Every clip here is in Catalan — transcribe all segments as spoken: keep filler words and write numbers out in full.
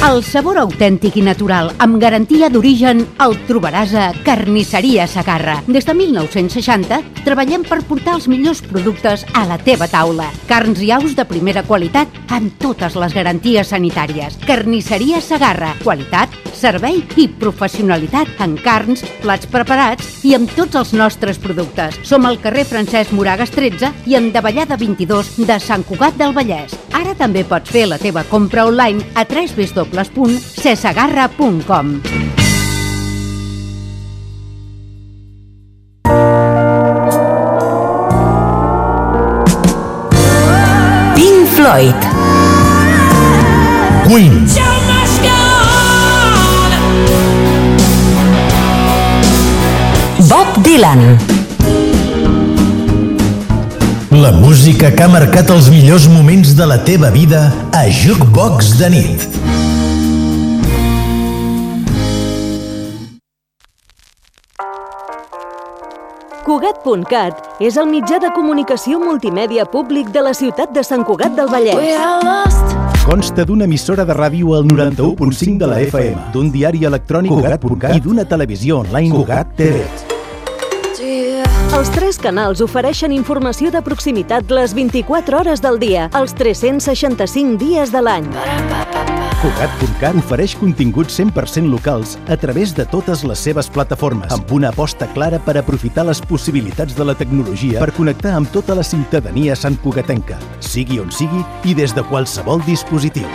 El sabor autèntic i natural, amb garantia d'origen, el trobaràs a Carnisseria Segarra. Des de mil nou-cents seixanta treballem per portar els millors productes a la teva taula. Carns i aus de primera qualitat amb totes les garanties sanitàries. Carnisseria Segarra. Qualitat, servei i professionalitat en carns, plats preparats i amb tots els nostres productes. Som al carrer Francesc Moragas tretze i en Davallada vint-i-dos de Sant Cugat del Vallès. Ara també pots fer la teva compra online a w w w punt cesegarra punt com. Pink Floyd, Queen, Bob Dylan. la música que ha marcat els millors moments de la teva vida a Jukebox de nit. Cugat punt cat és el mitjà de comunicació multimèdia públic de la ciutat de Sant Cugat del Vallès. Consta d'una emissora de ràdio al noranta-u punt cinc de la F M, d'un diari electrònic Cugat punt cat i d'una televisió online Cugat T V. Els tres canals ofereixen informació de proximitat les vint-i-quatre hores del dia, els tres-cents seixanta-cinc dies de l'any. Cugat punt cat ofereix continguts cent per cent locals a través de totes les seves plataformes, amb una aposta clara per aprofitar les possibilitats de la tecnologia per connectar amb tota la ciutadania santcugatenca, sigui on sigui i des de qualsevol dispositiu.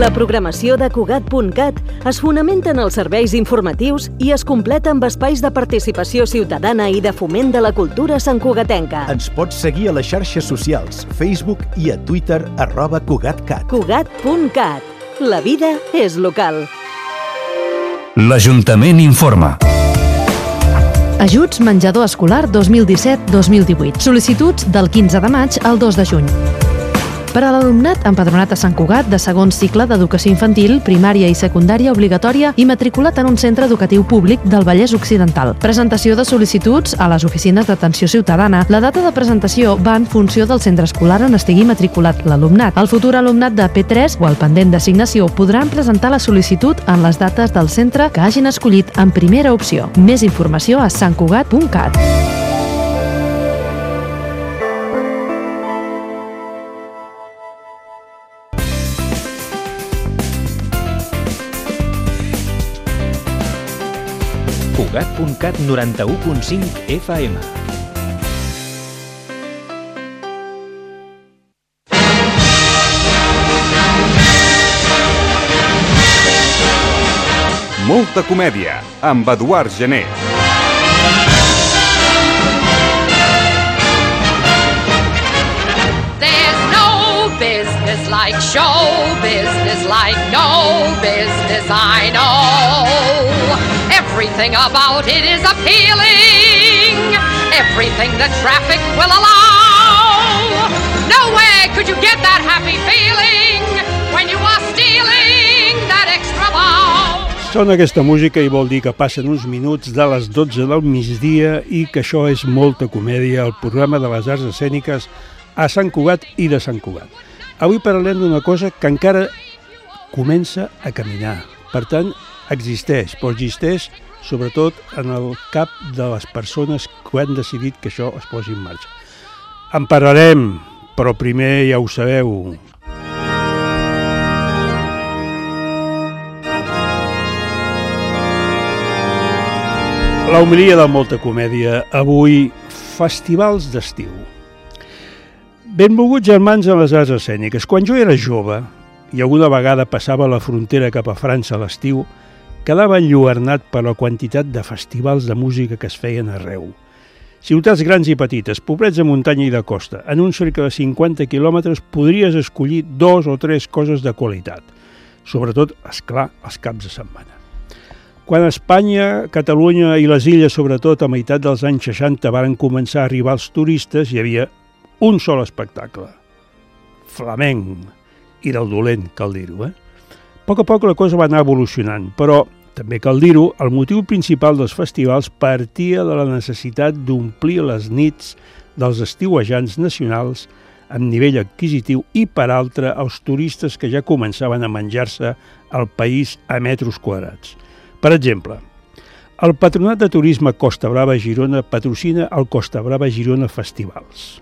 La programació de Cugat punt cat es fonamenta en els serveis informatius i es completa amb espais de participació ciutadana i de foment de la cultura santcugatenca. Ens pots seguir a les xarxes socials, Facebook i a Twitter, arroba CugatCat. Cugat punt cat. La vida és local. L'Ajuntament informa. Ajuts menjador escolar dos mil disset dos mil divuit. Sol·licituds del quinze de maig al dos de juny. Per a l'alumnat empadronat a Sant Cugat de segon cicle d'educació infantil, primària i secundària obligatòria i matriculat en un centre educatiu públic del Vallès Occidental. Presentació de sol·licituds a les oficines d'atenció ciutadana. La data de presentació va en funció del centre escolar on estigui matriculat l'alumnat. El futur alumnat de P tres o el pendent d'assignació podran presentar la sol·licitud en les dates del centre que hagin escollit en primera opció. Més informació a sant cugat punt cat. Cugat punt cat noranta-u punt cinc F M. Molta comèdia, amb Eduard Gené. There's no business like show business, like no business I know. Everything about it is appealing, everything the traffic will allow. Nowhere could you get that happy feeling when you are stealing that extra bow. Sona aquesta música i vol dir que passen uns minuts de les dotze del migdia i que això és molta comèdia, el programa de les arts escèniques a Sant Cugat i de Sant Cugat. Avui parlem d'una cosa que encara comença a caminar. Per tant, existeix, però existeix sobretot en el cap de les persones que han decidit que això es posi en marxa. En parlarem, però primer ja ho sabeu. La homilia de molta comèdia, avui, festivals d'estiu. Benvolguts germans en les arts escèniques. Quan jo era jove, i alguna vegada passava la frontera cap a França a l'estiu, quedava enlluernat per la quantitat de festivals de música que es feien arreu. Ciutats grans i petites, poblets de muntanya i de costa. En un cercle de cinquanta quilòmetres podries escollir dos o tres coses de qualitat. Sobretot, esclar, els caps de setmana. Quan Espanya, Catalunya i les illes, sobretot a meitat dels anys seixanta, varen començar a arribar els turistes, hi havia un sol espectacle. Flamenc. I del dolent, cal dir-ho, eh? A poc a poc la cosa va anar evolucionant, però, també cal dir-ho, el motiu principal dels festivals partia de la necessitat d'omplir les nits dels estiuejants nacionals amb nivell adquisitiu i, per altra, els turistes que ja començaven a menjar-se el país a metres quadrats. Per exemple, el Patronat de Turisme Costa Brava Girona patrocina el Costa Brava Girona Festivals,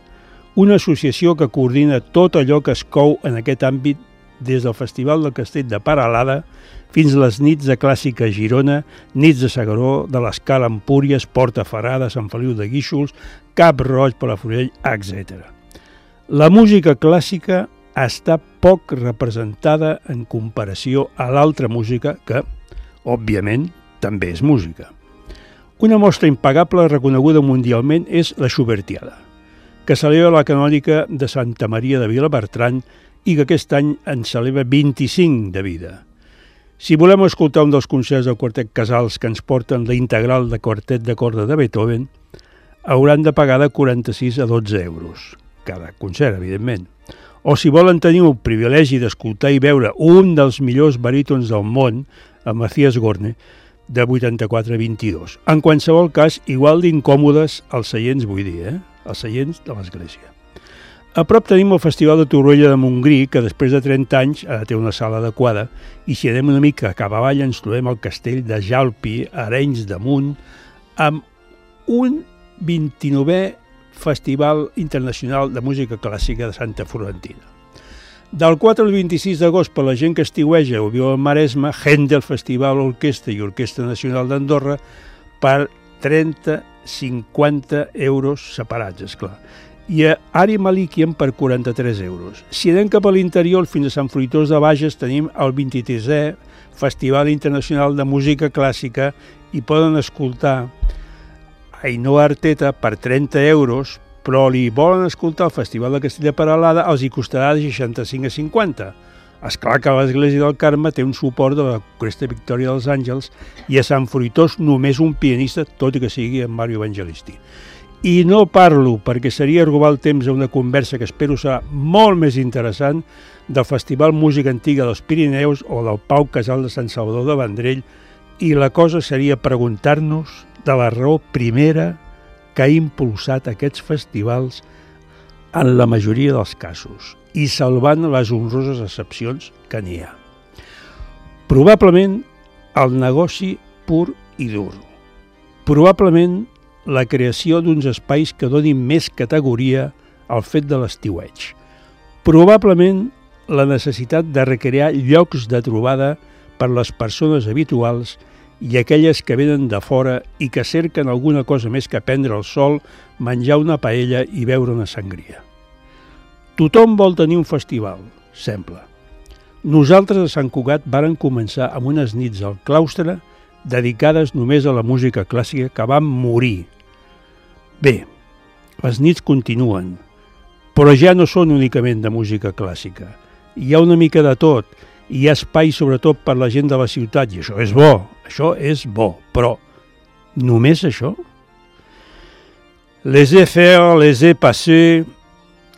una associació que coordina tot allò que es cou en aquest àmbit des del Festival del Castell de Peralada fins a les nits de Clàssica a Girona, nits de S'Agaró, de l'Escala a Empúries, Portaferrada, Sant Feliu de Guíxols, Cap Roig, Palafrugell, etcètera. La música clàssica està poc representada en comparació a l'altra música que, òbviament, també és música. Una mostra impagable reconeguda mundialment és la Schubertiada, que celebra la canònica de Santa Maria de Vilabertran i que aquest any en celebra vint-i-cinc de vida. Si volem escoltar un dels concerts del Quartet Casals que ens porten la integral de Quartet de corda de Beethoven, hauran de pagar de quaranta-sis a dotze euros, cada concert, evidentment. O si volen tenir el privilegi d'escoltar i veure un dels millors barítons del món, el Matthias Gorne, de vuitanta-quatre a vint-i-dos. En qualsevol cas, igual d'incòmodes els seients, vull dir, eh? Els seients de l'església. A prop tenim el Festival de Torroella de Montgrí, que després de trenta anys ara té una sala adequada, i si anem una mica cap avall ens trobem al castell de Jalpi, a Arenys de Munt, amb un vint-i-novè Festival Internacional de Música Clàssica de Santa Florentina. Del quatre al vint-i-sis d'agost, per la gent que estiueja o viu al Maresme, Händel Festival Orquestra i Orquestra Nacional d'Andorra per trenta a cinquanta euros separats, esclar. I a Ari Malikian per quaranta-tres euros. Si anem cap a l'interior, fins a Sant Fruitós de Bages, tenim el vint-i-tresè Festival Internacional de Música Clàssica i poden escoltar Ainhoa Arteta per trenta euros, però li volen escoltar el Festival de Castell de Peralada, els hi costarà de seixanta-cinc a cinquanta. Esclar que l'Església del Carme té un suport de la Cresta Victòria dels Àngels i a Sant Fruitós només un pianista, tot i que sigui en Mario Evangelisti. I no parlo, perquè seria robar el temps a una conversa que espero serà molt més interessant, del Festival Música Antiga dels Pirineus o del Pau Casal de Sant Salvador de Vendrell, i la cosa seria preguntar-nos de la raó primera que ha impulsat aquests festivals en la majoria dels casos, i salvant les honroses excepcions que n'hi ha. Probablement el negoci pur i dur. Probablement la creació d'uns espais que donin més categoria al fet de l'estiueig. Probablement la necessitat de recrear llocs de trobada per les persones habituals i aquelles que venen de fora i que cerquen alguna cosa més que prendre el sol, menjar una paella i beure una sangria. Tothom vol tenir un festival, sembla. Nosaltres a Sant Cugat vàrem començar amb unes nits al claustre dedicades només a la música clàssica que van morir. Bé, les nits continuen, però ja no són únicament de música clàssica. Hi ha una mica de tot, i hi ha espai sobretot per la gent de la ciutat, i això és bo, això és bo, però només això? Les ai faire, les ai passer,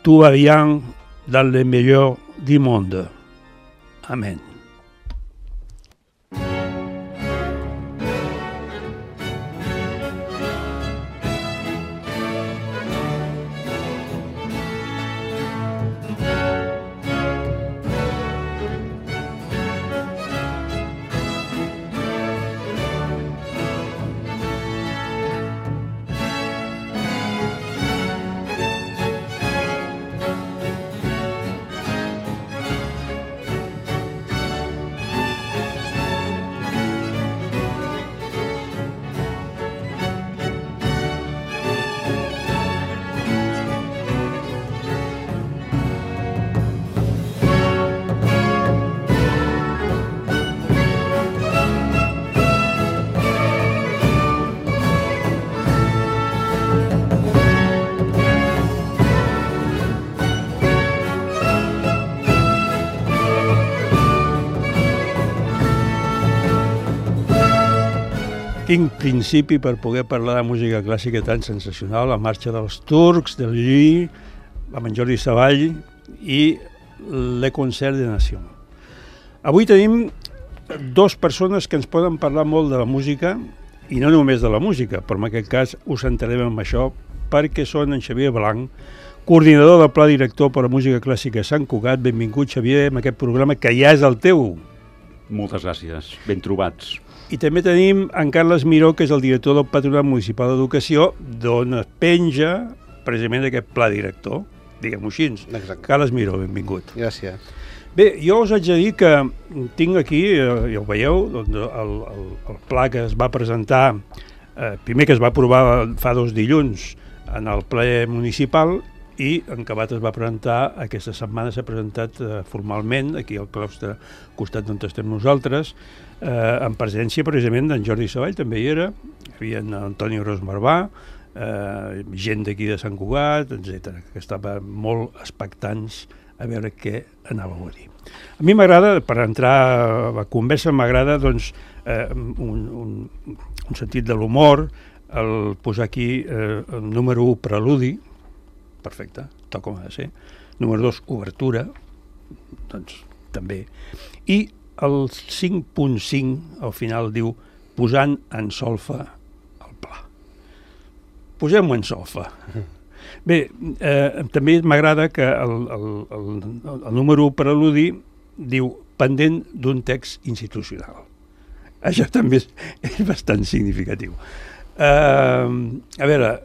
tout va bien dans le meilleur du monde. Amen. Quin principi per poder parlar de música clàssica tan sensacional, la marxa dels turcs, del Llull, amb en Jordi Savall i Le Concert de Nation. Avui tenim dues persones que ens poden parlar molt de la música, i no només de la música, però en aquest cas us centrarem en això, perquè són en Xavier Blanc, coordinador del Pla Director per a Música Clàssica a Sant Cugat. Benvingut, Xavier, en aquest programa que ja és el teu. Moltes gràcies, ben trobats. I també tenim en Carles Miró, que és el director del Patronat Municipal d'Educació, d'on es penja precisament aquest Pla Director, diguem-ho així. Exacte. Carles Miró, benvingut. Gràcies. Bé, jo us haig de dir que tinc aquí, ja ho veieu, doncs el, el, el pla que es va presentar, eh, primer que es va aprovar fa dos dilluns en el ple municipal i en acabat es va presentar, aquesta setmana s'ha presentat eh, formalment, aquí al claustre, al costat d'on estem nosaltres, eh, en presència precisament d'en Jordi Savall, també hi era, hi havia en Antoni Ros Marvà, eh, gent d'aquí de Sant Cugat, etcètera, que estaven molt expectants a veure què anàveu a dir. A mi m'agrada, per entrar a la conversa, m'agrada doncs, eh, un, un, un sentit de l'humor, el posar aquí eh, el número un, preludi, perfecte, tot com ha de ser, número dos, obertura, doncs també, i el cinc punt cinc al final diu posant en solfa el pla. Posem-ho en solfa. Bé, eh, també m'agrada que el, el, el, el número un preludi diu pendent d'un text institucional. Això també és, és bastant significatiu. Eh, a veure,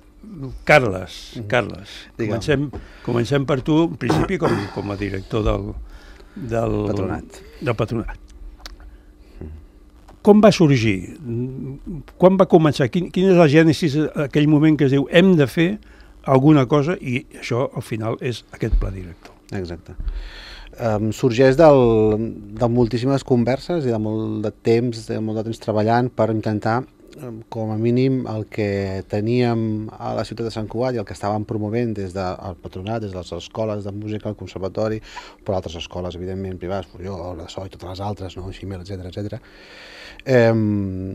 Carles, Carles, comencem, comencem per tu, en principi com, com a director del, del, patronat. del patronat. Com va sorgir? Quan va començar? Quin, quin és el gènesis aquell moment que es diu hem de fer alguna cosa i això al final és aquest pla director? Exacte. Um, sorgeix del, de moltíssimes converses i de molt de temps, de molt de temps treballant per intentar, um, com a mínim, el que teníem a la ciutat de Sant Cugat i el que estàvem promovent des del patronat, des de les escoles de música, el conservatori, però altres escoles, evidentment, privades, jo, la S O I, totes les altres, no? Ximel, etcètera, etcètera. Um,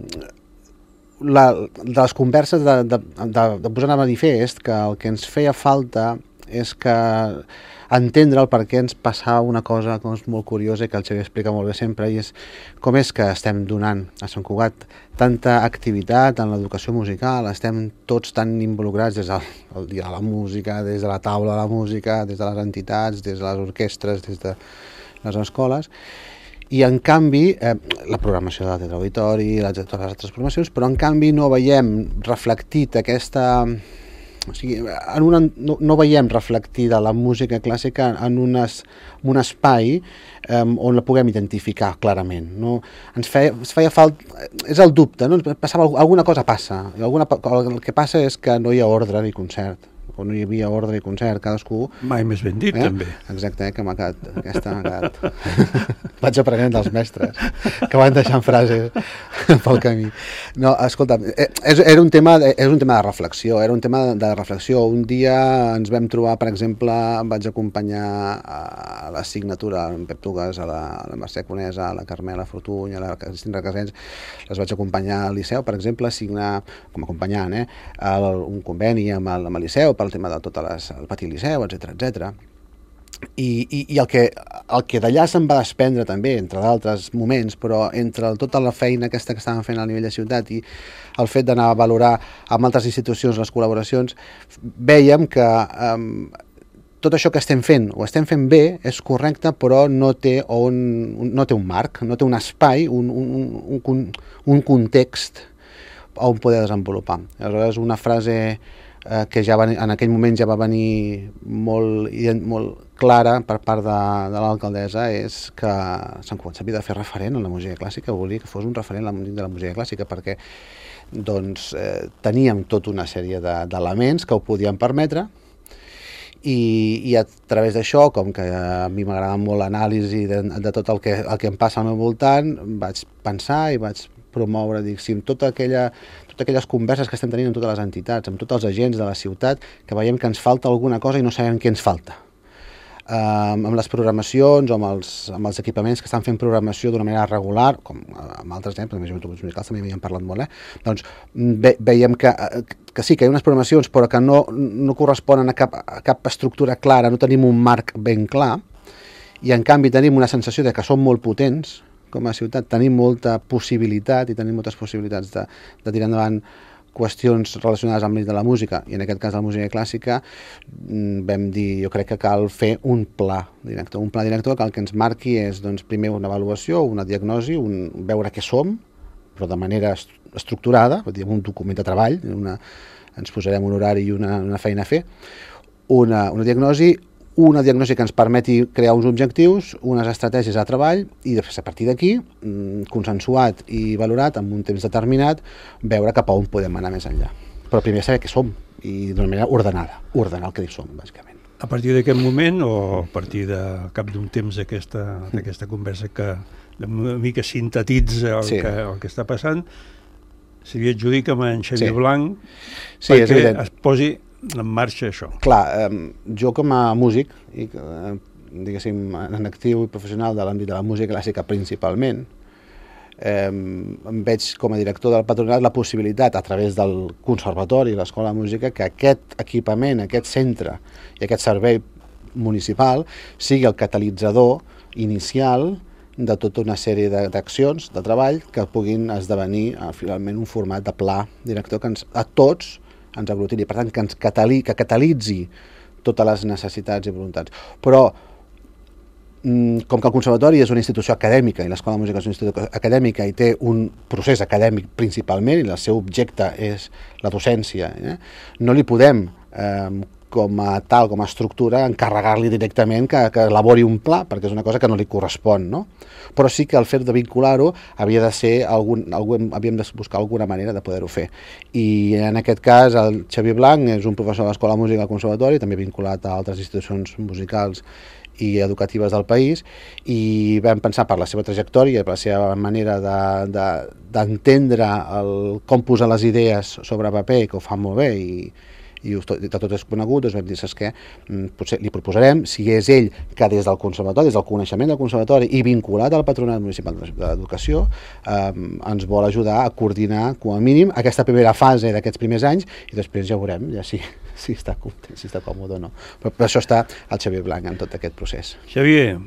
La, de les converses de, de, de, de posar a manifest que el que ens feia falta és que entendre el per què ens passava una cosa que és molt curiosa i que el Xavier explica molt bé sempre, i és com és que estem donant a Sant Cugat tanta activitat en l'educació musical, estem tots tan involucrats des del dia de la música, des de la taula de la música, des de les entitats, des de les orquestres, des de les escoles, i en canvi, eh, la programació de Teatre Auditori, les, totes les altres programacions, però en canvi no veiem reflectit aquesta... O sigui, en una, no, no veiem reflectida la música clàssica en, unes, en un espai eh, on la puguem identificar clarament. No? Ens feia, ens feia falta... És el dubte, no? Passava, alguna cosa passa. Alguna, el que passa és que no hi ha ordre ni concert, o no hi havia ordre i concert, cadascú... Mai més ben dit, eh? també. Exacte, eh? Que m'ha quedat, aquesta m'ha quedat... Vaig aprenent dels mestres, que van deixant frases pel camí. No, escolta, era un tema, era un tema de reflexió, era un tema de reflexió. Un dia ens vam trobar, per exemple, vaig acompanyar a la signatura, en Pep Tugas, a la, a la Mercè Conesa, a la Carmela Fortuny, a la Cristina Casens, les vaig acompanyar al Liceu, per exemple, a signar, com acompanyant, eh, el, un conveni amb el, amb el Liceu, pel tema de tot les, el pati Liceu, etcètera, etcètera. I, i, i el que, el que d'allà se'n va desprendre també, entre d'altres moments, però entre tota la feina aquesta que estàvem fent a nivell de ciutat i el fet d'anar a valorar amb altres institucions les col·laboracions, vèiem que um, tot això que estem fent, ho estem fent bé, és correcte, però no té, un, no té un marc, no té un espai, un, un, un, un context on poder desenvolupar. Aleshores, una frase eh, que ja va, en aquell moment ja va venir molt, molt clara per part de, de l'alcaldessa, és que Sant Cugat s'havia de fer referent en la música clàssica, volia que fos un referent de la música clàssica, perquè doncs, eh, teníem tota una sèrie d'elements que ho podien permetre, i, i a través d'això, com que a mi m'agrada molt l'anàlisi de, de tot el que, el que em passa al meu voltant, vaig pensar i vaig promoure, dic, si amb tota aquella, totes aquelles converses que estem tenint amb totes les entitats, amb tots els agents de la ciutat, que veiem que ens falta alguna cosa i no sabem què ens falta. Um, amb les programacions o amb els, amb els equipaments que estan fent programació d'una manera regular, com amb altres exemples, amb els joves musicals també m'hi han parlat molt, eh? Doncs ve, veiem que, que sí, que hi ha unes programacions però que no, no corresponen a cap, a cap estructura clara, no tenim un marc ben clar, i en canvi tenim una sensació de que som molt potents com a ciutat, tenim molta possibilitat i tenim moltes possibilitats de, de tirar endavant qüestions relacionades amb l'àmbit de la música, i en aquest cas de la música clàssica, vam dir, jo crec que cal fer un pla director. Un pla director que el que ens marqui és, doncs, primer una avaluació, una diagnosi, un, veure què som, però de manera estructurada, un document de treball, una, ens posarem un horari i una, una feina a fer, una, una diagnosi, una diagnosi que ens permeti crear uns objectius, unes estratègies de treball, i després a partir d'aquí, consensuat i valorat amb un temps determinat, veure cap a on podem anar més enllà. Però primer saber què som, i d'una manera ordenada, ordenar el que som, bàsicament. A partir d'aquest moment, o a partir de cap d'un temps d'aquesta d'aquesta conversa que una mica sintetitza el, sí. que, el que està passant, se li adjudica amb en Xavier sí. Blanc sí, perquè es posi en marxa això. Clar, eh, jo com a músic, i, eh, diguéssim, en actiu i professional de l'àmbit de la música clàssica principalment, eh, em veig com a director del patronat la possibilitat, a través del conservatori i l'escola de música, que aquest equipament, aquest centre i aquest servei municipal sigui el catalitzador inicial de tota una sèrie d'accions, de treball, que puguin esdevenir eh, finalment un format de pla director que ens, a tots ens aglutini, per tant, que ens catali, que catalitzi totes les necessitats i voluntats. Però, com que el conservatori és una institució acadèmica i l'Escola de Música és una institució acadèmica i té un procés acadèmic principalment i el seu objecte és la docència, eh? no li podem, eh, com a tal, com a estructura, encarregar-li directament que, que elabori un pla, perquè és una cosa que no li correspon, no? Però sí que el fet de vincular-ho havia de ser algun, algun, havíem de buscar alguna manera de poder-ho fer. I en aquest cas el Xavier Blanc és un professor de l'Escola de Música del Conservatori, també vinculat a altres institucions musicals i educatives del país, i vam pensar per la seva trajectòria, per la seva manera d'entendre de, de, el, com posar les idees sobre paper, que ho fa molt bé, i i de tot és conegut, doncs vam dir, saps què, potser li proposarem, si és ell que des del conservatori, des del coneixement del conservatori i vinculat al Patronat Municipal d'Educació, eh, ens vol ajudar a coordinar, com a mínim, aquesta primera fase d'aquests primers anys, i després ja veurem ja si, si està content, si està còmode o no. Però per això està el Xavier Blanc en tot aquest procés. Xavier,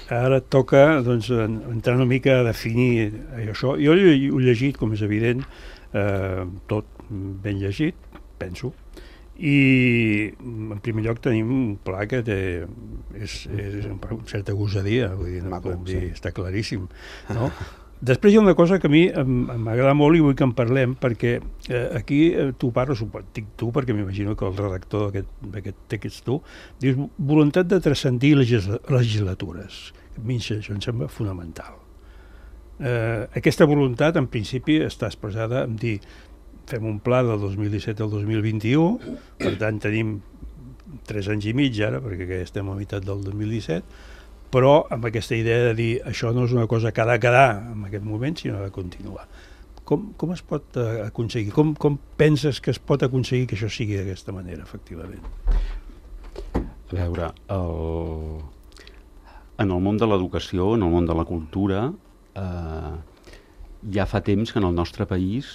ara et toca doncs, entrar una mica a definir això. Jo ho he llegit, com és evident, eh, tot ben llegit, penso, i en primer lloc tenim un pla que té, és, és una certa gosadia, vull dir, no podem dir, està claríssim, no? Després hi ha una cosa que a mi m'agrada molt i vull que en parlem, perquè eh, aquí eh, tu parles, dic tu perquè m'imagino que el redactor d'aquest text tu, dius voluntat de transcendir legisla legislatures. A mi això em sembla fonamental. Eh, aquesta voluntat en principi està expressada en dir fem un pla del dos mil disset al dos mil vint-i-u, per tant tenim tres anys i mig ara, perquè estem a meitat del dos mil disset, però amb aquesta idea de dir això no és una cosa que ha de quedar en aquest moment, sinó de continuar. Com, com es pot aconseguir? Com, com penses que es pot aconseguir que això sigui d'aquesta manera, efectivament? A veure, el... en el món de l'educació, en el món de la cultura, eh, ja fa temps que en el nostre país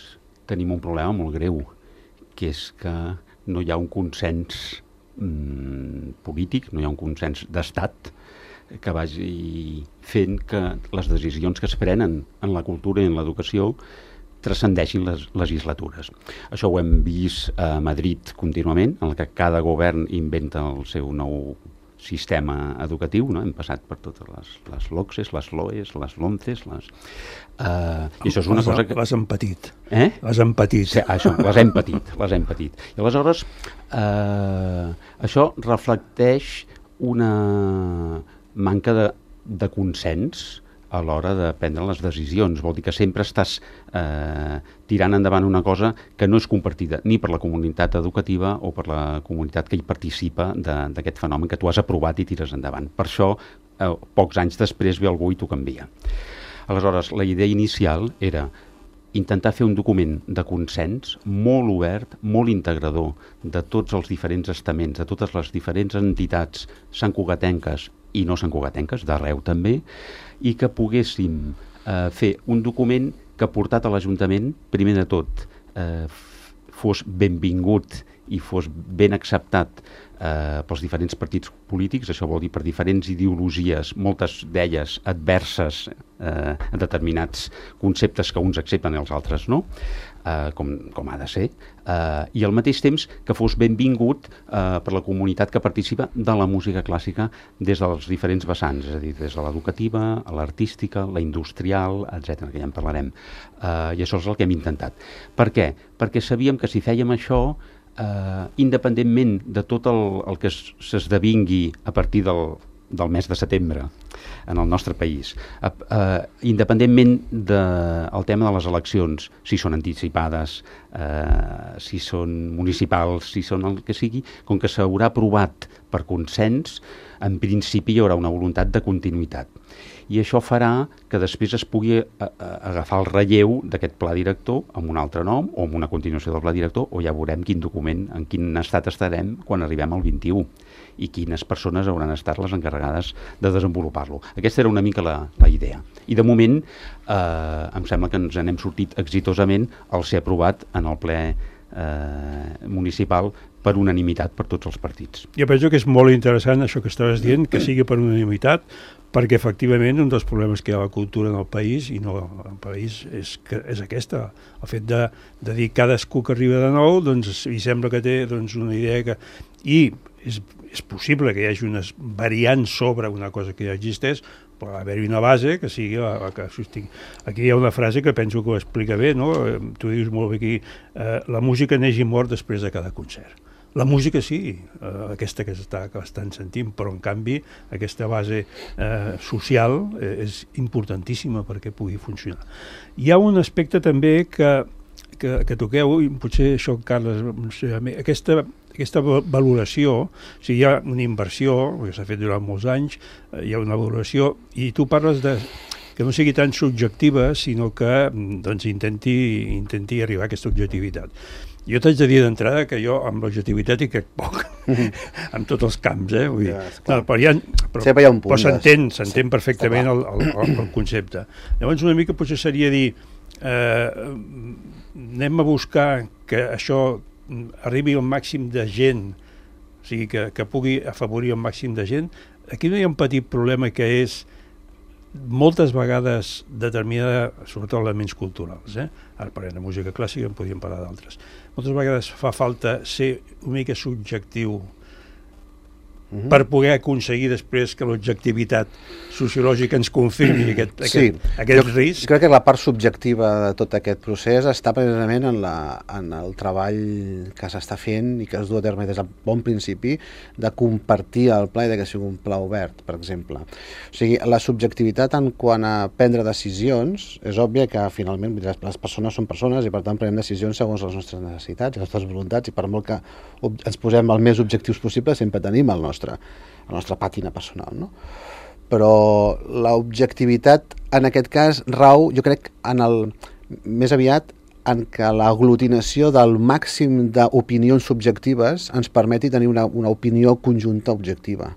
tenim un problema molt greu, que és que no hi ha un consens mm, polític, no hi ha un consens d'estat que vagi fent que les decisions que es prenen en la cultura i en l'educació transcendeixin les legislatures. Això ho hem vist a Madrid contínuament, en què cada govern inventa el seu nou sistema educatiu, no? Hem passat per totes les, les LOCSES, les LOEs, les LOMCEs, les... Uh, i això és una les, cosa que... Les hem patit. Eh? Les hem patit. Sí, això, les hem patit, les hem patit. I aleshores, uh, això reflecteix una manca de, de consens a l'hora de prendre les decisions. Vol dir que sempre estàs eh, tirant endavant una cosa que no és compartida ni per la comunitat educativa o per la comunitat que hi participa d'aquest fenomen que tu has aprovat i tires endavant. Per això, eh, pocs anys després ve algú i t'ho canvia. Aleshores, la idea inicial era intentar fer un document de consens molt obert, molt integrador de tots els diferents estaments, de totes les diferents entitats santcugatenques i no santcugatenques, d'arreu també, i que poguéssim eh, fer un document que portat a l'Ajuntament, primer de tot, eh, fos benvingut i fos ben acceptat eh, pels diferents partits polítics, això vol dir per diferents ideologies, moltes d'elles adverses eh, a determinats conceptes que uns accepten i els altres no, eh, com, com ha de ser, eh, i al mateix temps que fos benvingut eh, per la comunitat que participa de la música clàssica des dels diferents vessants, és a dir, des de l'educativa, l'artística, la industrial, etcètera, que ja en parlarem. Eh, I això és el que hem intentat. Per què? Perquè sabíem que si fèiem això, eh, independentment de tot el, el que s'esdevingui a partir del, del mes de setembre en el nostre país, eh, eh, independentment del de, tema de les eleccions, si són anticipades, eh, si són municipals, si són el que sigui, com que s'haurà aprovat per consens, en principi hi haurà una voluntat de continuïtat. I això farà que després es pugui a, a, agafar el relleu d'aquest pla director amb un altre nom o amb una continuació del pla director, o ja veurem quin document, en quin estat estarem quan arribem al vint-i-u i quines persones hauran estat les encarregades de desenvolupar-lo. Aquesta era una mica la, la idea. I de moment eh, em sembla que ens n'hem sortit exitosament al ser aprovat en el ple eh, municipal per unanimitat per tots els partits. Jo penso que és molt interessant això que estaves dient, que sigui per unanimitat, perquè efectivament un dels problemes que hi ha a la cultura en el país, i no el país, és, que, és aquesta, el fet de, de dir cadascú que arriba de nou, doncs hi sembla que té doncs, una idea que... I és, és possible que hi hagi unes variants sobre una cosa que ja existeix, però haver-hi una base que sigui la, la que sostingui. Aquí hi ha una frase que penso que ho explica bé, no? Tu dius molt bé aquí, eh, la música neix i mor després de cada concert. La música sí, eh, aquesta que, està, que estan sentint, però en canvi aquesta base eh, social eh, és importantíssima perquè pugui funcionar. Hi ha un aspecte també que, que, que toqueu, i potser això, Carles, no sé, aquesta, aquesta valoració, o sigui, hi ha una inversió, que s'ha fet durant molts anys, eh, hi ha una valoració, i tu parles de que no sigui tan subjectiva, sinó que doncs, intenti, intenti arribar a aquesta objectivitat. Jo t'haig de dir d'entrada que jo amb l'objectivitat hi crec poc, en tots els camps, eh? Vull dir, ja, no, però hi ha, però, hi ha un punt, però s'entén, s'entén sí, perfectament el, el, el, el concepte. Llavors una mica potser seria dir, eh, anem a buscar que això arribi al màxim de gent, o sigui, que, que pugui afavorir el màxim de gent. Aquí no hi ha un petit problema que és moltes vegades determinada, sobretot elements culturals, eh? Ara parlem de música clàssica, en podríem parlar d'altres. Moltes vegades fa falta ser una mica subjectiu uh-huh. per poder aconseguir després que l'objectivitat sociològica ens confirmi aquest, aquest, sí. aquest jo, risc. Crec que la part subjectiva de tot aquest procés està precisament en, la, en el treball que s'està fent i que es du a terme des del bon principi de compartir el pla i de que sigui un pla obert, per exemple. O sigui, la subjectivitat en quant a prendre decisions, és òbvia que finalment les persones són persones i per tant prenem decisions segons les nostres necessitats, les nostres voluntats, i per molt que ens posem el més objectius possible sempre tenim el nostre, la nostra pàtina personal, no? Però l'objectivitat en aquest cas rau, jo crec, en el, més aviat en què l'aglutinació del màxim d'opinions subjectives ens permeti tenir una, una opinió conjunta objectiva.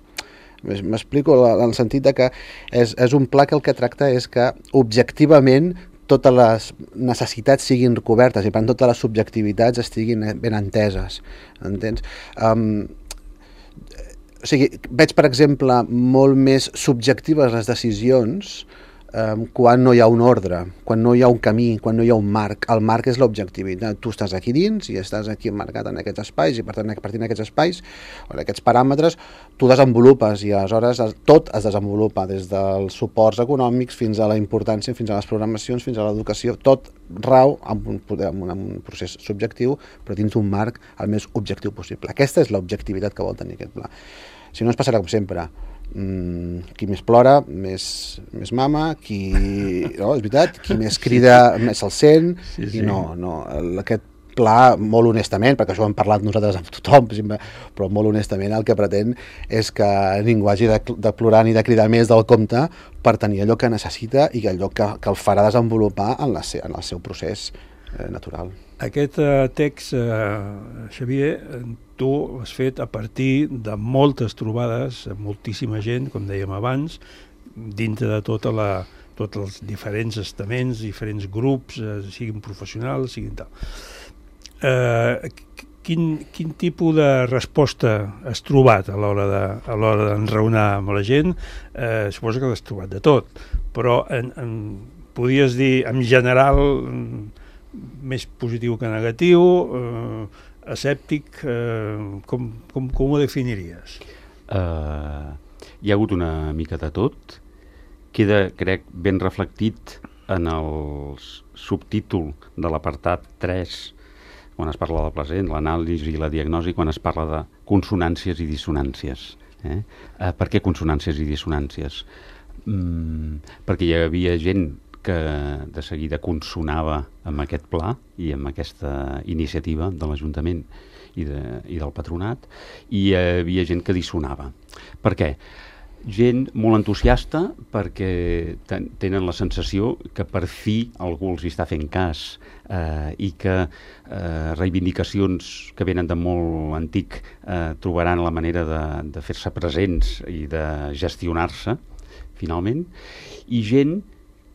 M'explico en el sentit de que és, és un pla que el que tracta és que objectivament totes les necessitats siguin cobertes i per tant totes les subjectivitats estiguin ben enteses, entens? Um, o sigui, veig, per exemple, molt més subjectives les decisions um, quan no hi ha un ordre, quan no hi ha un camí, quan no hi ha un marc. El marc és l'objectivitat. Tu estàs aquí dins i estàs aquí emmarcat en aquests espais i per tant, a partir d'aquests espais o d'aquests paràmetres, tu desenvolupes i aleshores tot es desenvolupa, des dels suports econòmics fins a la importància, fins a les programacions, fins a l'educació, tot rau amb un, amb un procés subjectiu, però dins d'un marc el més objectiu possible. Aquesta és l'objectivitat que vol tenir aquest pla. Si no, ens passarà com sempre. Mm, qui més plora, més, més mama, qui... No, és veritat, qui més crida, més se'l sent, sí, sí. I no, no, aquest pla, molt honestament, perquè això ho hem parlat nosaltres amb tothom, però molt honestament el que pretén és que ningú hagi de, de plorar ni de cridar més del compte per tenir allò que necessita i allò que, que el farà desenvolupar en, la, en el seu procés eh, natural. Aquest eh, text, eh, Xavier, tu l'has fet a partir de moltes trobades, moltíssima gent, com dèiem abans, dintre de tota la, tots els diferents estaments, diferents grups, eh, siguin professionals, siguin tal. Eh, quin, quin tipus de resposta has trobat a l'hora de, a l'hora d'enraonar amb la gent? Eh, suposo que l'has trobat de tot, però en, en, podries dir, en general, més positiu que negatiu, eh, escèptic, eh, com, com, com ho definiries? Uh, hi ha hagut una mica de tot. Queda, crec, ben reflectit en el subtítol de l'apartat tres, quan es parla del present, l'anàlisi i la diagnosi, quan es parla de consonàncies i dissonàncies. Eh? Uh, per què consonàncies i dissonàncies? Mm, perquè hi havia gent que de seguida consonava amb aquest pla i amb aquesta iniciativa de l'Ajuntament i, de, i del Patronat, i hi havia gent que dissonava. Per què? Gent molt entusiasta perquè ten, tenen la sensació que per fi algú els hi està fent cas eh, i que eh, reivindicacions que venen de molt antic eh, trobaran la manera de, de fer-se presents i de gestionar-se, finalment, i gent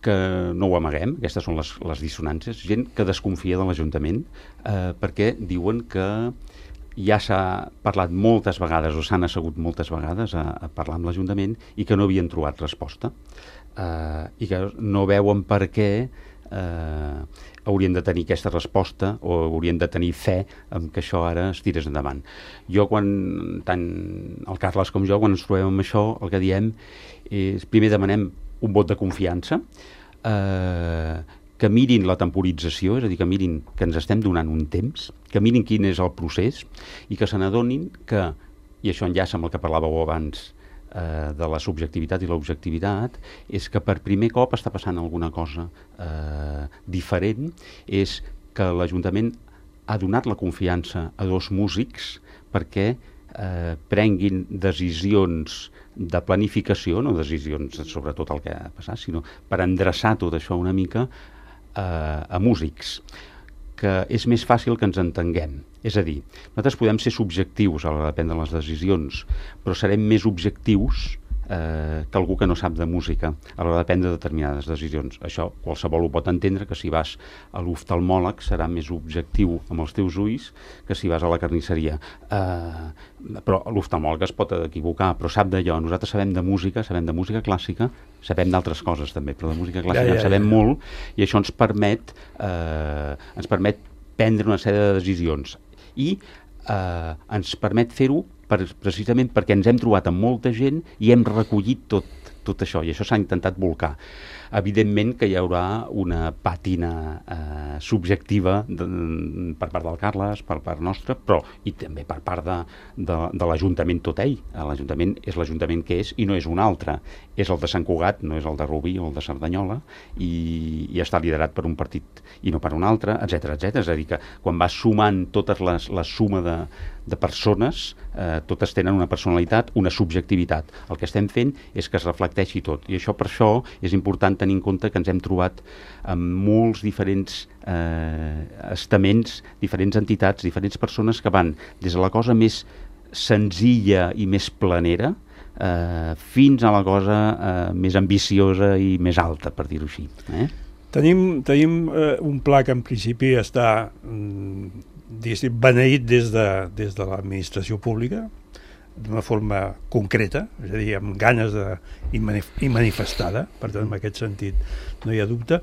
que no ho amaguem, aquestes són les, les dissonàncies, gent que desconfia de l'Ajuntament eh, perquè diuen que ja s'ha parlat moltes vegades o s'han assegut moltes vegades a, a parlar amb l'Ajuntament i que no havien trobat resposta eh, i que no veuen per què eh, haurien de tenir aquesta resposta o haurien de tenir fe en que això ara es tirés endavant. Jo, quan, tant el Carles com jo, quan ens trobem amb això, el que diem és, primer demanem un vot de confiança, eh, que mirin la temporització, és a dir, que mirin que ens estem donant un temps, que mirin quin és el procés i que se n'adonin que, i això enllaça amb el que parlàveu abans eh, de la subjectivitat i l'objectivitat, és que per primer cop està passant alguna cosa eh, diferent, és que l'Ajuntament ha donat la confiança a dos músics perquè eh, prenguin decisions de planificació, no decisions sobre tot el que ha passat, sinó per endreçar tot això una mica a músics, que és més fàcil que ens entenguem. És a dir, nosaltres podem ser subjectius a l'hora de prendre les decisions, però serem més objectius eh, que algú que no sap de música a l'hora de prendre determinades decisions. Això qualsevol ho pot entendre, que si vas a l'oftalmòleg serà més objectiu amb els teus ulls que si vas a la carnisseria. Eh, però l'oftalmòleg es pot equivocar, però sap d'allò. Nosaltres sabem de música, sabem de música clàssica, sabem d'altres coses també, però de música clàssica ja, ja, en sabem ja. molt, i això ens permet, eh, ens permet prendre una sèrie de decisions i eh, ens permet fer-ho per, precisament perquè ens hem trobat amb molta gent i hem recollit tot, tot això, i això s'ha intentat volcar. Evidentment que hi haurà una pàtina eh, subjectiva de, per part del Carles, per part nostra, però i també per part de, de, de l'Ajuntament tot ell. L'Ajuntament és l'Ajuntament que és i no és un altre. És el de Sant Cugat, no és el de Rubí o el de Cerdanyola, i, i està liderat per un partit i no per un altre, etcètera, etcètera. És a dir, que quan vas sumant totes les, la suma de, de persones, eh, totes tenen una personalitat, una subjectivitat. El que estem fent és que es reflecteixi tot, i això per això és important tenir en compte que ens hem trobat amb molts diferents eh, estaments, diferents entitats, diferents persones que van des de la cosa més senzilla i més planera eh, fins a la cosa eh, més ambiciosa i més alta, per dir-ho així. Eh? Tenim, tenim eh, un pla que en principi està mm, beneït des de, des de l'administració pública, d'una forma concreta, és a dir, amb ganes de, i, manif i manifestada, per tant, en aquest sentit no hi ha dubte,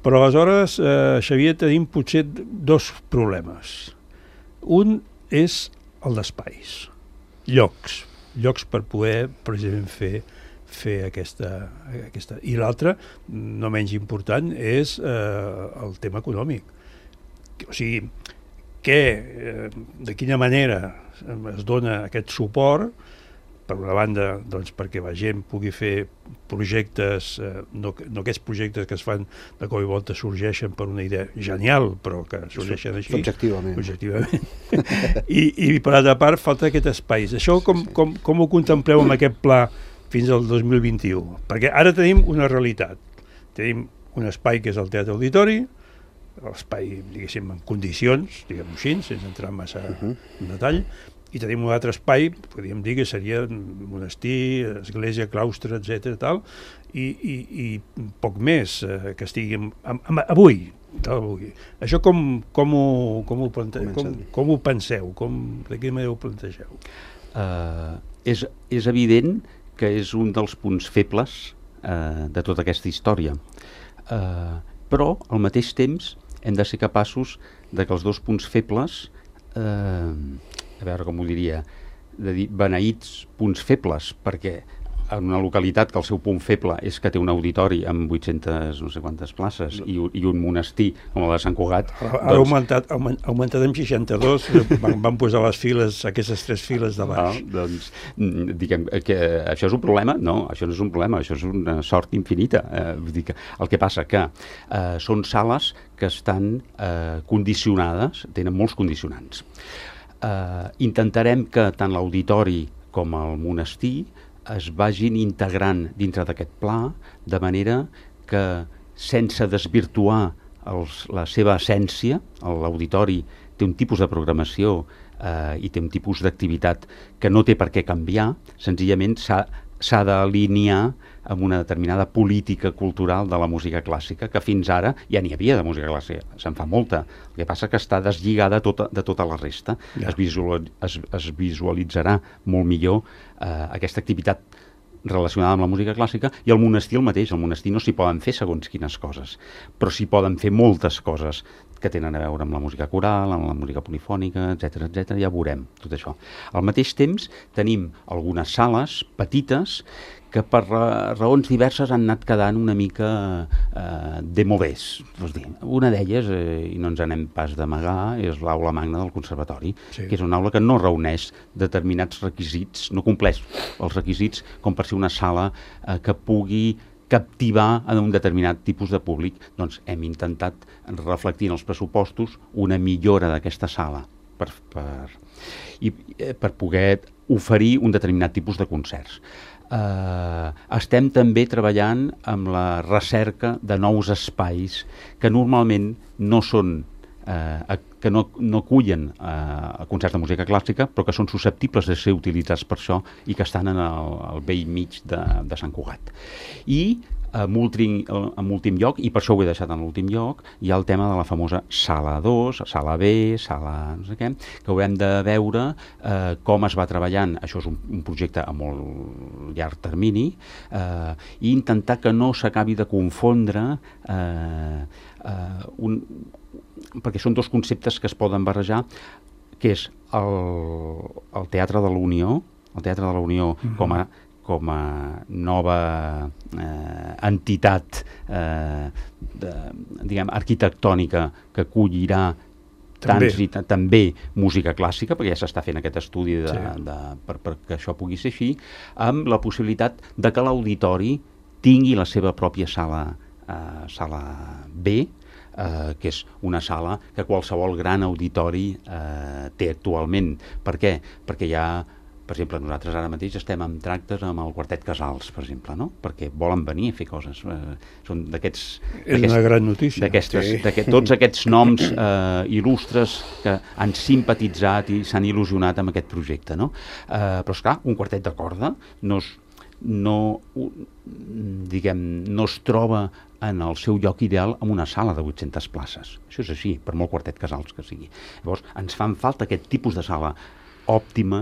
però aleshores, eh, Xavier, tenim potser dos problemes. Un és el d'espais, llocs, llocs per poder precisament fer, fer aquesta, aquesta... I l'altre, no menys important, és eh, el tema econòmic. O sigui, que, eh, de quina manera es dona aquest suport, per una banda, doncs, perquè la gent pugui fer projectes, eh, no, no aquests projectes que es fan de cop i volta sorgeixen per una idea genial, però que sorgeixen així. Subjectivament. Subjectivament. I, I per altra part, falta aquest espai. Això com, sí, sí. com, com ho contempleu amb aquest pla fins al dos mil vint-i-u? Perquè ara tenim una realitat. Tenim un espai que és el Teatre Auditori, l'espai, diguéssim, en condicions, diguem-ho així, sense entrar massa uh-huh. en detall, i tenim un altre espai, podríem dir que seria monestir, església, claustre, etcètera, tal, i, i, i poc més eh, que estigui amb, amb, avui, Del bugui. Això com, com, ho, com, ho, plante... com, com ho penseu? Com, de quina manera ho plantegeu? Uh, és, és evident que és un dels punts febles uh, de tota aquesta història. Uh, però, al mateix temps, hem de ser capaços de que els dos punts febles, uh, a veure com ho diria, de dir beneïts punts febles, perquè en una localitat que el seu punt feble és que té un auditori amb vuit-centes no sé quantes places i, i un monestir com el de Sant Cugat. Ha doncs... augmentat, augment, augmentat en seixanta-dos, van, van posar les files, aquestes tres files de baix. No, doncs, diguem que això és un problema? No, això no és un problema, això és una sort infinita. Eh, vull dir que el que passa que eh, són sales que estan eh, condicionades, tenen molts condicionants. Eh, intentarem que tant l'auditori com el monestir es vagin integrant dintre d'aquest pla, de manera que, sense desvirtuar els, la seva essència, l'auditori té un tipus de programació eh, i té un tipus d'activitat que no té per què canviar, senzillament s'ha s'ha d'alinear amb una determinada política cultural de la música clàssica, que fins ara ja n'hi havia de música clàssica, se'n fa molta. El que passa que està deslligada tota, de tota la resta. Ja. Es, visual, es, es visualitzarà molt millor eh, aquesta activitat relacionada amb la música clàssica, i el monestir el mateix. El monestir no s'hi poden fer segons quines coses, però s'hi poden fer moltes coses que tenen a veure amb la música coral, amb la música polifònica, etcètera, etcètera. Ja veurem tot això. Al mateix temps tenim algunes sales petites que per raons diverses han anat quedant una mica eh, demodés. Una d'elles, eh, i no ens anem pas d'amagar, és l'aula magna del Conservatori, sí. Que és una aula que no reuneix determinats requisits, no compleix els requisits com per ser una sala eh, que pugui captivar en un determinat tipus de públic. Doncs hem intentat reflectir en els pressupostos una millora d'aquesta sala per, per, i, eh, per poder oferir un determinat tipus de concerts. Uh, estem també treballant amb la recerca de nous espais que normalment no són uh, que no, no acullen uh, concerts de música clàssica, però que són susceptibles de ser utilitzats per això i que estan en el, el vell mig de, de Sant Cugat. I en últim, en últim lloc, i per això ho he deixat en l'últim lloc, hi ha el tema de la famosa sala dos, sala B, sala no sé què, que haurem de veure eh, com es va treballant. Això és un, un projecte a molt llarg termini, eh, i intentar que no s'acabi de confondre eh, eh, un, perquè són dos conceptes que es poden barrejar, que és el, el Teatre de la Unió, el Teatre de la Unió mm-hmm. com a com a nova eh, entitat eh, de, diguem, arquitectònica que acollirà també. Tants i t- també música clàssica, perquè ja s'està fent aquest estudi de, sí. de, per, per que això pugui ser així, amb la possibilitat de que l'auditori tingui la seva pròpia sala, eh, sala B, eh, que és una sala que qualsevol gran auditori eh, té actualment. Per què? Perquè hi ha... Per exemple, nosaltres ara mateix estem en tractes amb el Quartet Casals, per exemple, no? Perquè volen venir a fer coses. Eh, són d'aquests... És una gran notícia. D'aquestes, sí. d'aquest, tots aquests noms eh, il·lustres que han simpatitzat i s'han il·lusionat amb aquest projecte, no? Eh, però, esclar, un quartet de corda no es, no, diguem, no es troba en el seu lloc ideal en una sala de vuit-centes places. Això és així, per molt Quartet Casals que sigui. Llavors, ens fan falta aquest tipus de sala òptima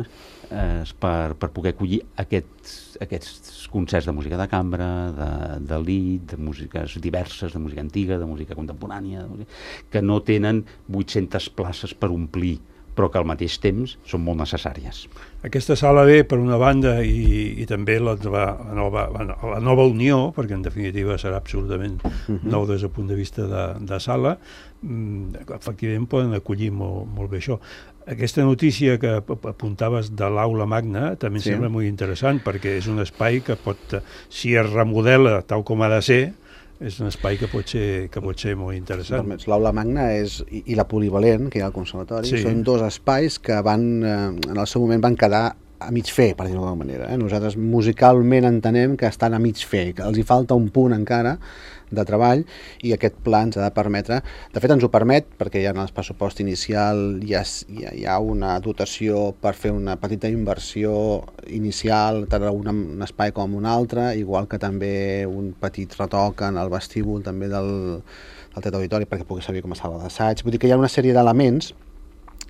eh, per, per poder acollir aquests, aquests concerts de música de cambra, de, de lied, de músiques diverses, de música antiga, de música contemporània, de música, que no tenen vuit-centes places per omplir, però que al mateix temps són molt necessàries. Aquesta sala B, per una banda, i, i també la, la, nova, la nova Unió, perquè en definitiva serà absolutament uh-huh. nou des del punt de vista de, de sala, efectivament poden acollir molt, molt bé això. Aquesta notícia que apuntaves de l'aula magna també em sí. sembla molt interessant, perquè és un espai que pot, si es remodela tal com ha de ser, és un espai que pot ser, que pot ser molt interessant. L'aula magna és, i, i la polivalent, que hi ha al conservatori, sí. són dos espais que van, eh, en el seu moment van quedar a mig fer, per dir-ho d'alguna manera. Eh? Nosaltres musicalment entenem que estan a mig fer, que els hi falta un punt encara de treball i aquest pla ens ha de permetre, de fet ens ho permet perquè ja en el pressupost inicial ja, ja hi ha una dotació per fer una petita inversió inicial tant en un, un espai com un altre, igual que també un petit retoc en el vestíbul també del, del Teatre Auditori perquè pugui servir com a sala d'assaig. Vull dir que hi ha una sèrie d'elements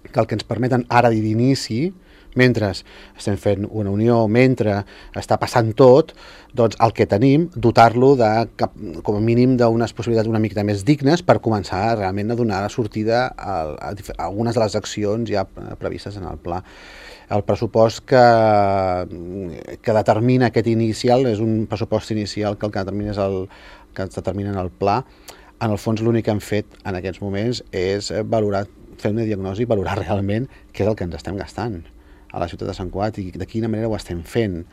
que el que ens permeten ara d'inici, mentre estem fent una unió, mentre està passant tot, doncs el que tenim, dotar-lo de, com a mínim d'unes possibilitats una mica més dignes per començar realment a donar sortida a, a, a algunes de les accions ja previstes en el pla. El pressupost que, que determina aquest inicial és un pressupost inicial que el que determina és el que es determina en el pla. En el fons l'únic que hem fet en aquests moments és valorar, fer una diagnosi i valorar realment què és el que ens estem gastant a la ciutat de Sant Cugat i de quina manera ho estem fent.